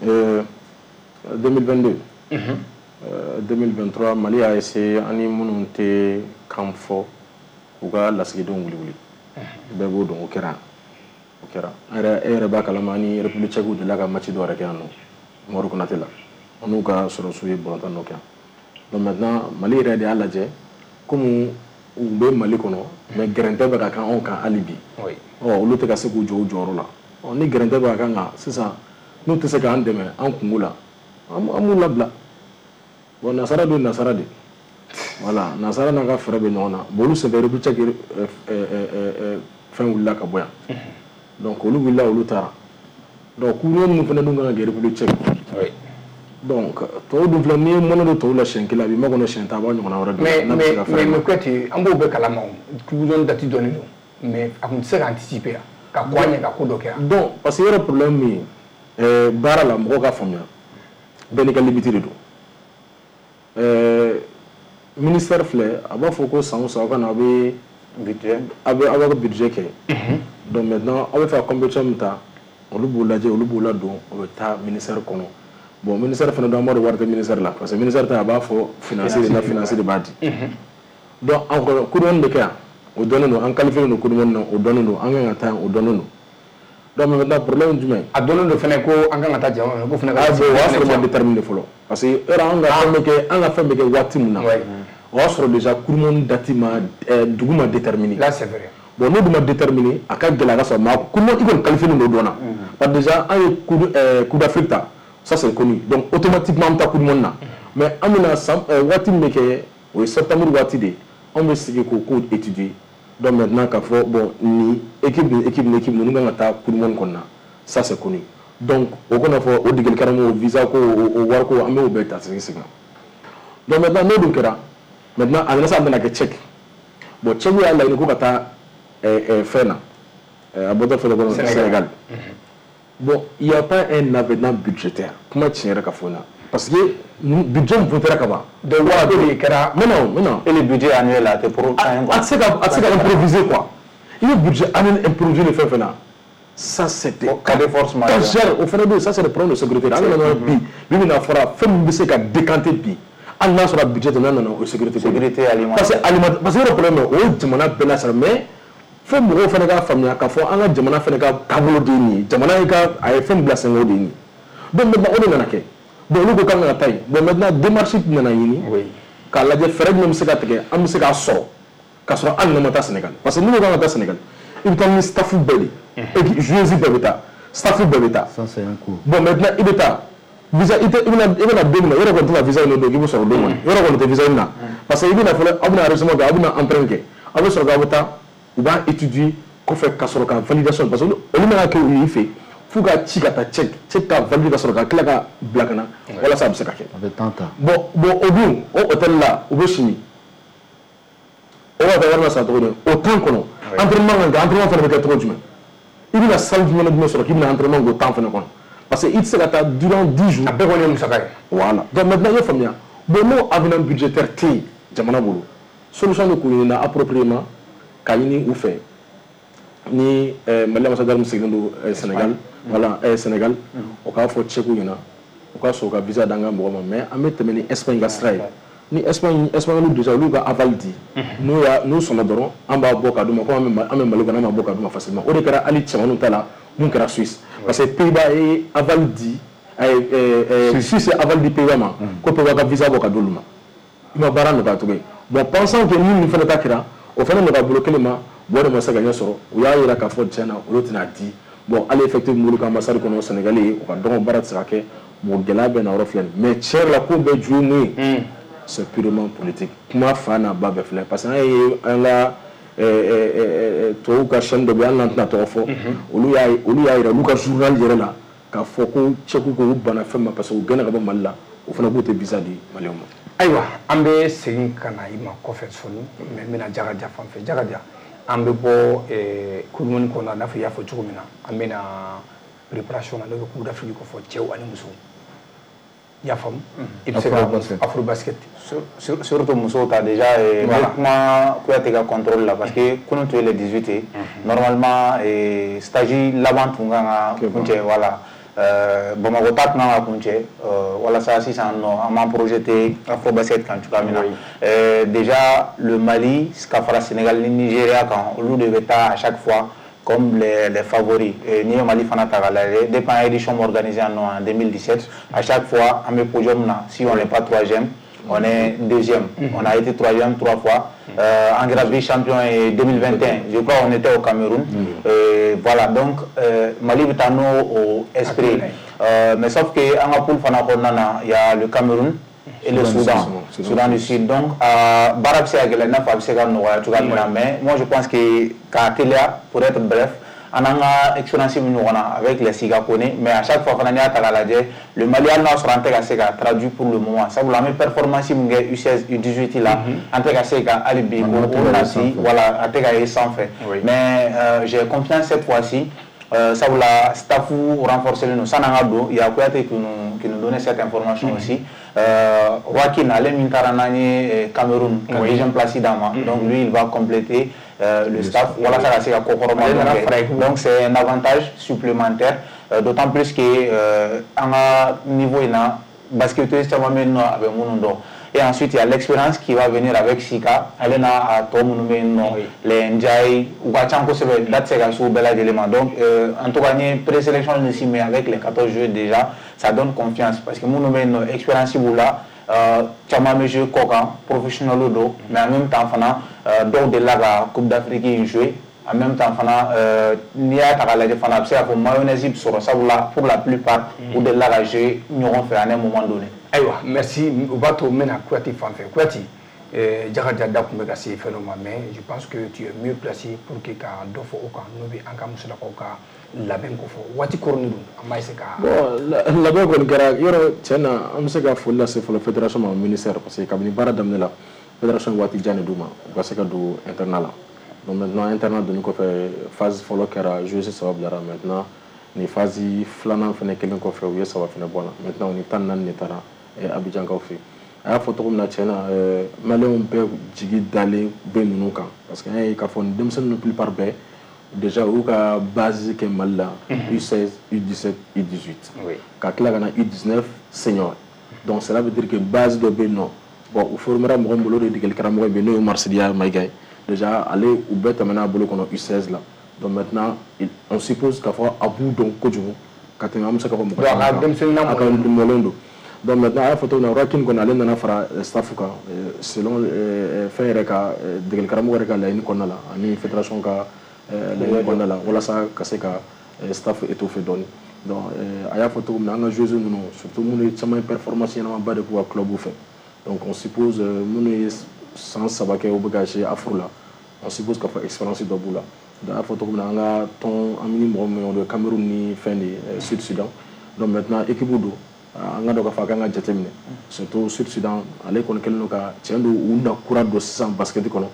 deux mille vingt-deux, deux mille vingt-trois, Mali y'a essayé an ni minnu tɛ kan fɔ k'u ka lasigidenw wuli wuli. Bɛɛ b'o dɔn, o kɛra o kɛra. An yɛrɛ, e yɛrɛ b'a kalama, an ni République tchèque delila ka match dɔ yɛrɛ kɛ yan nɔ, Umaru Konate la. An n'u ka sɔrɔsiw ye balontan dɔ kɛ yan. Donc maintenant, Mali yɛrɛ de y'a lajɛ komi u bɛ Mali kɔnɔ, mais gɛrɛntɛ bɛ ka kɛ anw kan hali bi. Ɔ olu tɛ ka se k'u jɔ u jɔyɔrɔ la. Ɔ ni gɛrɛntɛ bɛ ka k'an kan sisan, n'u tɛ se k'an dɛmɛ an kungo la, an b'u labila. Bon, nasara don, nasara de. Voilà, nasara n'a ka fɛɛrɛ bɛ ɲɔgɔn na. Bon, olu senfɛ République tchèque fɛn wulila ka bɔ yan. Donc olu wulila, olu taara. Donc coupe du monde minnu fana dun kan ka kɛ République tchèque. Donc tɔw dun filɛ, n'i ye mɔnɛ don tɔw la siɲɛ kelen, a b'i makɔnɔ siɲɛ tan, a b'a ɲɔgɔnna wɛrɛ don. Mais mais mais mais Kouyaté, an b'o bɛɛ kalama o. Coupe du monde date dɔnnen don. Mais a tun tɛ se ka anticiper yan, ka kɔn a ɲɛ ka ko dɔ kɛ yan. Donc parce que yɔrɔ problème min ye, baara la mɔgɔw ka faamuya, bɛɛ n'i ka limite de don. Ministère filɛ, a b'a fɔ ko san o san aw ka na, aw bɛ budget, aw bɛ aw b'a ka budget kɛ. Donc maintenant, aw bɛ fɛ ka compétition min ta, olu b'o lajɛ, olu b'o ladon, o bɛ taa ministère kɔnɔ. Bon, ministère fana dɔn, an b'a dɔn wari tɛ ministère la, parce que ministère ta, a b'a fɔ financier de la, financier de b'a di. Donc an kɔnɔ coupe du monde bɛ kɛ yan, o dɔnnen don, an qualifié don coupe du monde na, o dɔnnen don, an kan ka taa yan, o dɔnnen don. Donc maintenant, problème jumɛn? A dɔnnen don fɛnɛ ko an kan ka taa jama ko fɛnɛ ka. Ah bon, o y'a sɔrɔ ma déterminé fɔlɔ, parce que yɔrɔ an ka fɛn bɛ kɛ, an ka fɛn bɛ kɛ waati min na, o y'a sɔrɔ déjà coupe du monde date ma, dugu ma déterminé. Là c'est vrai. Bon, n'o dun ma déterminé, a ka gɛlɛn a ka sɔrɔ, mais coupe du monde i kɔni qualifié don o dɔn na. Parce que déjà an ye coupe coupe d'Afrique ta, ça c'est connu. Donc automatiquement an bɛ taa coupe du monde na. Mais an bɛna san waati min bɛ kɛ, o ye septembre waati de ye, anw bɛ sigi k'o ko étudier. Donc maintenant k'a fɔ bon, ni équipe ni équipe ni équipe ninnu kan ka taa coupe du monde kɔnɔ na, ça c'est connu. Donc o kana fɔ o degeli karamɔgɔ visa ko, o wari ko, an b'o bɛɛ ta sigi sen kan. Donc maintenant n'o dun kɛra, maintenant a nana sa, a nana kɛ Tchèque. Bon, Tchèque y'a laɲini ko ka taa fɛn na, a bɔtɔ fɛnɛ kɔnɔ Sénégal. Bon, il y a pas un avenant budgétaire, kuma tiɲɛ yɛrɛ ka fɔ n na, parce que budget min votera ka ban. Donc wari de kɛra. Mais non, mais non. Et le budget annuel là, c'est pour. A tɛ se ka, a tɛ se ka improviser quoi. I bɛ budget annuel improviser ni fɛn fɛn na. Ça c'était cas de force majeure. O fana bɛ yen, ça c'est le problème de sécurité. An nana bi, bi min na fɔra fɛn min bɛ se ka décanter bi, hali n'a sɔrɔ budget tɛ, n'a nana o sécurité. Sécurité alimentaire. Parce que alimentaire, parce que yɔrɔ problème o ye jamana bɛɛ la sara, mais fo mɔgɔw fana k'a faamuya k'a fɔ an ka jamana fana ka taabolo de ye nin ye, jamana ye ka a ye fɛn bila sen kan, o de ye nin ye. Donc maintenant o de nana kɛ. Bon, olu ko k'an ka taa yen. Bon, maintenant démarche nana ɲini k'a lajɛ fɛɛrɛ jumɛn bɛ se ka tigɛ, an bɛ se k'a sɔrɔ k'a sɔrɔ hali n'an ma taa Sénégal. Parce que n'u ko k'an ka taa Sénégal, i bɛ taa ni staff bɛɛ de ye, joueurs bɛɛ bɛ taa, staff bɛɛ bɛ taa. Ça c'est un coup. Bon, maintenant i bɛ taa visa, i tɛ, i bɛna i bɛna don min na, yɔrɔ kɔni tɛna visa ɲini don k'i bɛ sɔrɔ don kɔni, yɔrɔ kɔni tɛ visa ɲini na. Parce que i bɛna fɔlɔ, aw bɛna enregistrement kɛ, aw bɛna empreinte kɛ, aw bɛ sɔrɔ k'aw bɛ taa, u b'a étudier kɔfɛ ka sɔrɔ ka validation, parce que olu mana kɛ u y'i fɛ f'u ka ci ka taa Tchèque, Tchèque ka valider ka sɔrɔ ka tila ka bila ka na, walasa a bɛ se ka kɛ. A bɛ temps ta. Bon, bon, o dun, o hôtel la, u bɛ sini, o b'a ka wari la sara cogo di? O temps kɔnɔ, entraînement kan kɛ, entraînement fana bɛ kɛ cogo jumɛn? I bɛna salle jumɛn ni jumɛn sɔrɔ k'i bɛna entraînement k'o temps fana kɔnɔ? Parce que i tɛ se ka taa durant dix jours. A bɛɛ kɔni ye musaka ye. Voilà, donc maintenant i ye faamuya. Bon, n'o avenant budgétaire tɛ yen jamana bolo, solution bɛ k'o ɲini na appropriément k'a ɲini u fɛ ni Mali ambassadeur min sigilen don Sénégal, voilà, Sénégal, o k'a fɔ Tchèque ɲɛna, o k'a sɔrɔ ka visa d'an ka mɔgɔ ma, mais an bɛ tɛmɛ ni Espagne ka sira ye. Ni Espagne, Espagne déjà olu ka aval di, n'u y'a n'u sɔnna dɔrɔn, an b'a bɔ ka d'u ma, ko an bɛ an bɛ Mali kɔnɔ, an b'a bɔ ka d'u ma facilement. O de kɛra hali cɛmaninw ta la mun kɛra Suisse, parce que Pays-Bas ye aval di, Suisse ye aval di Pays-Bas ma ko Pays-Bas ka visa bɔ ka d'olu ma. I ma baara nɔgɔya cogo ye. Bon, pensant que ni nin fana ta kɛra, o fana nɔgɔya bolo kelen ma bon, o de ma se ka ɲɛ sɔrɔ. U y'a yira k'a fɔ tiɲɛ na olu tɛna di. Bon, hali effectif min b'olu ka ambassade kɔnɔ, Sénégal ye, u ka dɔgɔn, baara tɛ se ka kɛ. Bon, gɛlɛya bɛ na yɔrɔ filɛ nin, mais tiɲɛ yɛrɛ la, ko bɛɛ ju ye mun ye? C'est purement politique. Kuma fa n'a ba bɛɛ filɛ, parce que an ye an ka tubabuw ka chaîne dɔ bɛ yen, hali n'an tɛna tɔgɔ fɔ, olu y'a olu y'a yira olu ka journal yɛrɛ la k'a fɔ ko Tchèque ko u banna fɛn ma, parce que u gɛnna ka bɔ Mali la, o fana k'u tɛ visa di Maliyɛnw ma. Ayiwa, an bɛ segin ka na i ma kɔfɛ sɔɔni, mais n bɛna Jakaja fan fɛ. Jakaja, an bɛ bɔ coupe du monde kɔnɔ, i n'a fɔ i y'a fɔ cogo min na, an bɛ na préparation na, n'o bɛ Coupe d'Afrique kɔfɛ, cɛw ani musow. I y'a faamu, i bɛ se ka Afro basket. Surtout musow ta déjà, n bɛ kuma Kouyaté ka contrôle la, parce que kunun tun ye le dix-huit ye, normalement stage laban tun kan ka kuncɛ, voilà, Bamakɔ ta tun kan ka kuncɛ, walasa sisan nɔ an b'an projeté Afro basket kan cogoya min na. Déjà le Mali ka fara Sénégal ni Nigéria kan, olu de bɛ taa à chaque fois comme les, les favoris. N'i ye Mali fana ta k'a lajɛ, depuis an édition organisée en deux mille dix-sept, à chaque fois an bɛ podium na. Si on n'est pas troisième, on est deuxième. On a été troisième trois fois. Euh, en kɛra vice-champion en deux mille vingt et un, je crois, on était au Cameroun. Euh, voilà, donc euh, Mali bɛ taa n'o o esprit. Euh, mais sauf que an ka poule fana kɔnɔna na, il y a le Cameroun et le Soudan, Soudan du Sud. Donc baara bɛ se ka gɛlɛya i n'a fɔ a bɛ se ka nɔgɔya cogoya min na, mais moi je pense que k'a teliya, pour être bref, an n'an ka expérience bɛ ɲɔgɔn na avec les Siga Kone, mais à chaque fois fana, n'i y'a ta k'a lajɛ, le Mali, hali n'a sɔrɔ an tɛ ka se ka traduit pour le moment, sabula an bɛ performance min kɛ U seize U dix-huit la, an tɛ ka se ka hali bi o nati, voilà, a tɛ ka ye sanfɛ. Mais euh, j'ai confiance cette fois-ci, euh, sabula staff renforcé don san'an ka don. Il y a Kouyaté qui nous qui nous donnait cette information aussi. euh, Joaquin, ale min taara n'an ye Cameroun ka deuxième place d'an ma, donc lui il va compléter euh, le staff walasa ka se ka kɔkɔrɔma kɛ. Donc c'est un avantage supplémentaire, euh, d'autant plus que euh, an ka niveau in na, basketteuse caman bɛ yen nɔ a bɛ minnu dɔn. Et ensuite, il y a l'expérience qui va venir avec Sika, ale n'a a tɔ minnu bɛ yen nɔ, les Ndiaye, u ka ca kosɛbɛ, da tɛ se ka s'u bɛɛ lajɛlen ma. Donc euh, en tout cas, n ye présélection si, mais avec les quatorze joueurs déjà, ça donne confiance, parce que minnu bɛ yen nɔ, expérience b'u la, caman bɛ jouer kɔ kan, professionnel don, mais en même temps fana, dɔw delila ka Coupe d'Afrique in jouer. En même temps fana, n'i y'a ta k'a lajɛ fana, a bɛ se k'a fɔ mayonnaise bɛ sɔrɔ, sabula pour la plupart u delila ka jouer ɲɔgɔn fɛ à un moment donné. Ayiwa, merci. O b'a to n bɛna Kouyaté fan fɛ. Kouyaté, Jakaja da tun bɛ ka se fɛn dɔ ma, mais je pense que tu es mieux placé pour que ka dɔ fɔ o kan, n'o bɛ an ka musolakaw ka labɛn ko fɔ. Waati koronnen don, an b'a essayer ka. Bon, labɛn kɔni kɛra yɔrɔ tiɲɛ na, an bɛ se ka foli lase fɔlɔ fédération ma, ministère, parce que kabini baara daminɛ la, fédération ye waati jan de d'u ma u ka se ka don internat la. Donc maintenant, internat donni kɔfɛ, phase fɔlɔ kɛra, joueurs saba bilara. Maintenant, nin phase filanan fɛnɛ kelen kɔfɛ, u ye saba fɛnɛ bɔ a la. Maintenant, u ni tan ni naani de taara Abidjankaw fɛ yen. A y'a fɔ cogo min na, tiɲɛ na, Maliyɛnw bɛɛ jigi dalen bɛ ninnu kan, parce que an y'a ye k'a fɔ nin denmisɛnnin ninnu plupart bɛɛ déjà u y'u ka base kɛ Mali la, U seize, U dix-sept, U dix-huit, ka tila ka na U dix-neuf senior. Donc cela veut dire que base dɔ bɛ yen nɔ. Bon, u formera mɔgɔ min bolo, o de ye degeli karamɔgɔ ye, n'o ye Marsidiya Mayiga ye. Déjà ale, u bɛɛ tɛmɛna a bolo kɔnɔ U seize la. Donc maintenant, on suppose k'a fɔ a b'u dɔn kojugu ka tɛmɛ an bɛ se k'a fɔ mɔgɔ caman kan, a ka mɔlen don. Donc maintenant, a y'a fɔ cogo min na, Rakin kɔni, ale nana fara staff kan selon fɛn yɛrɛ ka degeli karamɔgɔ yɛrɛ ka laɲini kɔnɔna la ani fédération ka laɲini kɔnɔna la, walasa ka se ka staff étoffer dɔɔni. Donc a y'a fɔ cogo min na, an ka joueurs ninnu, surtout minnu ye caman ye performance ɲɛnamaba de k'u ka club fɛ, donc on suppose minnu ye san saba kɛ u bɛ ka jouer Afro la, on suppose k'a fɔ expérience dɔ b'u la. Donc a y'a fɔ cogo min na, an ka tɔn, an ni mɔgɔ min o ye Cameroun ni fɛn de ye, Sud Soudan. Donc maintenant, équipe don, an ka dɔn k'a fɔ a kan ka jateminɛ, surtout Sud Soudan, ale kɔni kɛlen don ka tiɲɛ don u na kura don sisan basket kɔnɔ,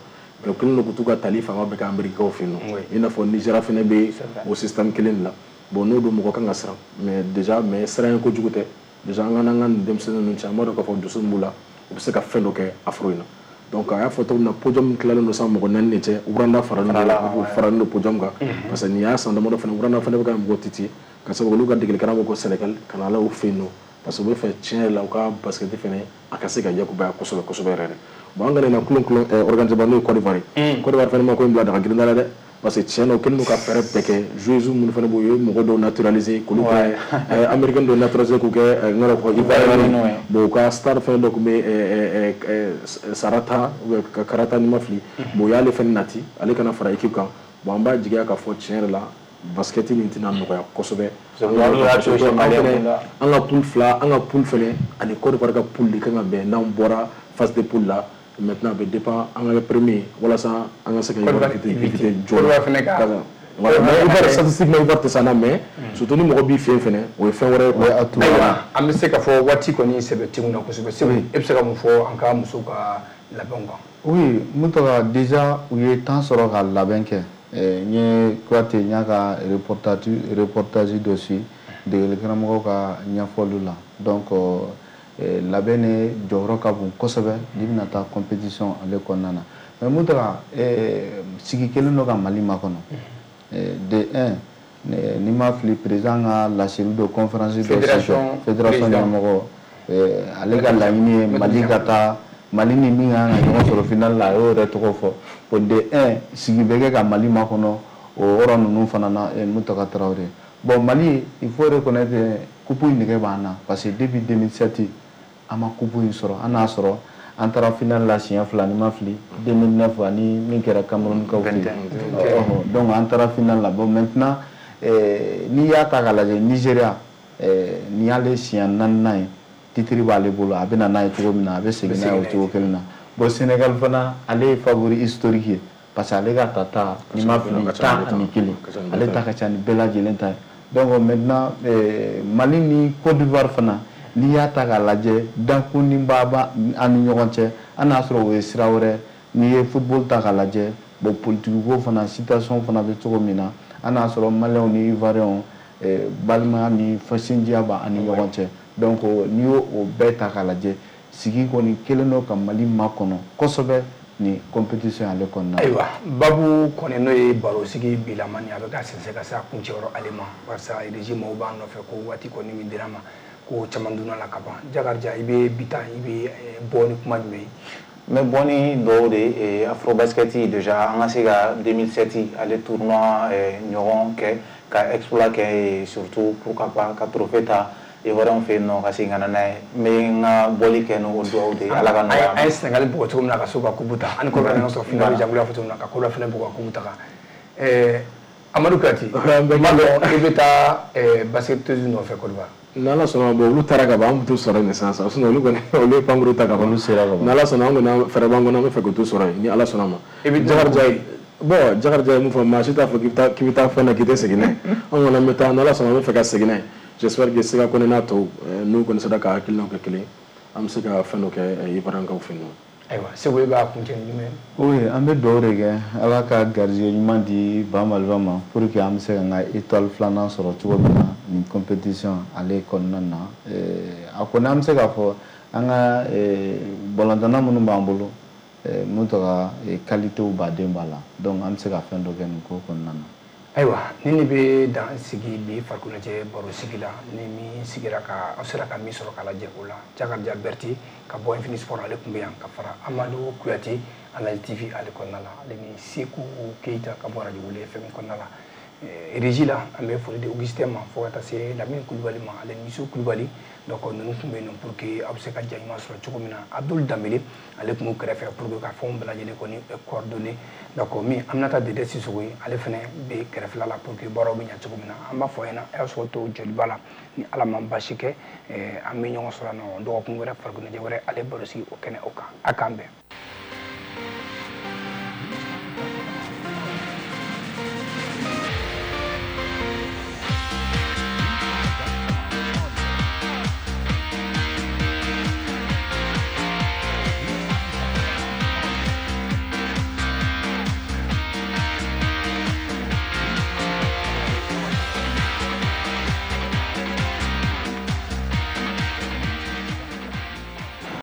mais u kɛlen don k'u t'u ka tali fanga bɛɛ kɛ Américains fɛ yen nɔ, i n'a fɔ Nigéria fɛnɛ bɛ o système kelen de la. Bon, n'o don, mɔgɔ kan ka siran, mais déjà, mais siran ye kojugu tɛ. Déjà, an ka n'an ka nin denmisɛnnin ninnu cɛ, an b'a dɔn k'a fɔ dusu min b'u la, u bɛ se ka fɛn dɔ kɛ Afro in na. Donc a y'a fɔ cogo min na, podium tilalen don sisan mɔgɔ naani de cɛ, Rwanda faralen don faralen don podium kan, parce que nin y'a san damadɔ fana, Rwanda fana bɛ ka mɔgɔ titi ka sababu olu ka degeli karamɔgɔ ko Sénégal ka na ala u fɛ yen nɔ. Parce que u bɛ fɛ tiɲɛ yɛrɛ la, u ka basket fɛnɛ a ka se ka yakubaya kosɛbɛ kosɛbɛ yɛrɛ de. Bon, an kana na kulon kulon organiser ba, n'o ye Côte d'Ivoire ye. Côte d'Ivoire fɛnɛ ma ko in bila daga girinda la dɛ, parce que tiɲɛ na, u kɛlen don ka fɛɛrɛ bɛɛ kɛ. Joueurs minnu fɛnɛ b'u ye, mɔgɔ dɔw naturaliser k'olu kɛ Américain, dɔw naturaliser k'u kɛ n ka fɔ Ivoirien. Bon, u ka star fɛnɛ dɔ tun bɛ Sarata Karata, ni ma fili. Bon, u y'ale fɛnɛ nati, ale kana fara équipe kan. Bon, an b'a jigiya k'a fɔ tiɲɛ yɛrɛ la, basket nin tɛna nɔgɔya kosɛbɛ. An ka poule fila, an ka poule fɛnɛ ani Côte d'Ivoire ka poule de kan ka bɛn. N'an bɔra phase de poule la, maintenant a bɛ dépend an ka kɛ premier walasa an ka se ka éviter joona. Voilà, mais Ivoire, statistiquement, Ivoire tɛ s'an na, mais surtout ni mɔgɔ b'i fɛ yen fɛnɛ, o ye fɛn wɛrɛ ye quoi. Ayiwa, an bɛ se k'a fɔ waati kɔni sɛbɛ tɛ kun na kosɛbɛ. Segu, e bɛ se ka mun fɔ an ka musow ka labɛnw kan? Oui, Mutaga, déjà u ye temps sɔrɔ ka labɛn kɛ. N ye Kuyate, n y'a ka reportage reportage dɔ suit degeli karamɔgɔw ka ɲɛfɔliw la. Donc labɛn ne jɔyɔrɔ ka bon kosɛbɛ n'i bɛna taa compétition ale kɔnɔna na. Mais Mutaga, sigi kelen dɔ ka Mali makɔnɔ. De un, n'i ma fili, président ka laseli dɔ, conférence dɔ fédération, fédération ɲɛmɔgɔ, ale ka laɲini ye Mali ka taa, Mali ni min kan ka ɲɔgɔn sɔrɔ final la, a y'o yɛrɛ tɔgɔ fɔ. Bon, de un, sigi bɛ kɛ ka Mali makɔnɔ o yɔrɔ ninnu fana na. Mutaga Tarawele, bon, Mali, il faut reconnaître, coupe in nɛgɛ b'an na, parce que depuis deux mille sept an ma coupe in sɔrɔ. An n'a sɔrɔ an taara final la siɲɛ fila, ni ma fili, deux mille neuf ani min kɛra Cameroun kaw fɛ yen. Donc an taara final la. Bon, maintenant, n'i y'a ta k'a lajɛ, Nigéria, nin y'ale siɲɛ naaninan ye, titre b'ale bolo, a bɛ na n'a ye cogo min na, a bɛ segin n'a ye o cogo kelen na. Bon, Sénégal fana, ale ye favori historique ye, parce que ale ka tata, n'i ma fili, tan ani kelen, ale ta ka ca ni bɛɛ lajɛlen ta ye. Donc maintenant, Mali ni Côte d'Ivoire fana, n'i y'a ta k'a lajɛ, dankunin b'a an ni ɲɔgɔn cɛ. An n'a sɔrɔ o ye sira wɛrɛ. N'i ye football ta k'a lajɛ, bon, politique ko fana, situation fana bɛ cogo min na, an n'a sɔrɔ Maliyɛnw ni Ivoiriyɛnw, balimaya ni sinjiya b'an ni ɲɔgɔn cɛ. Donc n'i y'o o bɛɛ ta k'a lajɛ, sigi kɔni kelen don ka Mali makɔnɔ kosɛbɛ ni compétition ale kɔnɔna na. Ayiwa, babu kɔni n'o ye barosigi bilama ni a bɛ ka sɛnsɛn ka se a kuncɛyɔrɔ ale ma, barisa régie maaw b'an nɔfɛ ko waati kɔni min dira ma, ko caman donna la ka ban. Jakarija, i bɛ bi ta, i bɛ bɔ ni kuma jumɛn ye? N bɛ bɔ ni dɔw de ye. Afrobasket, déjà an ka se ka deux mille sept ale tournoi ɲɔgɔn kɛ, ka exploit kɛ, surtout pourquoi pas ka trophée ta Ivoirien fɛ yen nɔ, ka segin ka na n'a ye. N bɛ n ka bɔli kɛ n'o dugawu de ye, Ala ka nɔgɔya. An ye Sénégal bugɔ cogo min na ka se ka coupe ta, ani Côte d'Ivoire ɲɔgɔn sɔrɔ finale, jango y'a fɔ cogo min na, ka Côte d'Ivoire fana bugɔ ka coupe ta kan. Amadu Kuyate, n b'a dɔn i bɛ taa basketteuse nɔfɛ Côte d'Ivoire. N'Ala sɔnna, bon, olu taara ka ban, an bɛ t'u sɔrɔ yen sisan sisan. Sinon olu kɔni, olu ye pankuru ta ka ban. Olu sera ka ban. N'Ala sɔnna, an kɔni fɛɛrɛ b'an kɔnɔ, an bɛ fɛ k'u t'u sɔrɔ yen ni Ala sɔnna ma. I bɛ Jakarija ye, bon, Jakarija ye mun fɔ, maa si t'a fɔ k'i bɛ taa k'i bɛ taa fɛn na k'i tɛ segin n'a ye. An kɔni an bɛ taa, n'Ala sɔnna, an bɛ fɛ ka segin n'a ye. J'espère que Sega Kɔnɛ n'a tɔw, n'u kɔni sera ka hakilinaw kɛ kelen, an bɛ se ka fɛn dɔ kɛ Ivoirien-kaw fɛ yen nɔ. Ayiwa, Segu, e b'a kuncɛ ni jumɛn ye? Oui, an bɛ dugawu de kɛ, Ala ka garijɛgɛ ɲuman di Ba Maliba ma, pour que an bɛ se ka n ka étoile filanan sɔrɔ cogo min na nin compétition ale kɔnɔna na. A kɔni, an bɛ se k'a fɔ an ka balontanna minnu b'an bolo, mun tɔgɔ, qualité baden b'a la, donc an bɛ se ka fɛn dɔ kɛ nin ko kɔnɔna na. Ayiwa, ni ne bɛ dan sigi bi farikoloɲɛnajɛ baro sigi la, ni min sigira ka aw sera ka min sɔrɔ k'a lajɛ o la, Jakarija Berete ka bɔ Infini Sport, ale tun bɛ yan ka fara Amadu Kuyate Analyse T V ale kɔnɔna la, ale ni Seku Keyita ka bɔ Radio Wele F M kɔnɔna la. Régie la, an bɛ foli di Augustin ma, fo ka taa se Lamini Kulubali ma, ale ni Yusu Kulubali. Donc ninnu tun bɛ yen nɔ pour que aw bɛ se ka ja ɲuman sɔrɔ cogo min na. Abdul Danbele, ale tun b'u kɛrɛfɛ pour que ka fɛnw bɛɛ lajɛlen kɔni coordonner. Donc min Aminata Dede Sisoko ye, ale fana bɛ kɛrɛfɛla la pour que baaraw bɛ ɲɛ cogo min na. An b'a fɔ a ɲɛna, a y'a sɔrɔ to joliba la, ni Ala ma basi kɛ, an bɛ ɲɔgɔn sɔrɔ yan nɔ dɔgɔkun wɛrɛ, farikoloɲɛnajɛ wɛrɛ, ale baro sigi o kɛnɛ o kan. A k'an bɛn.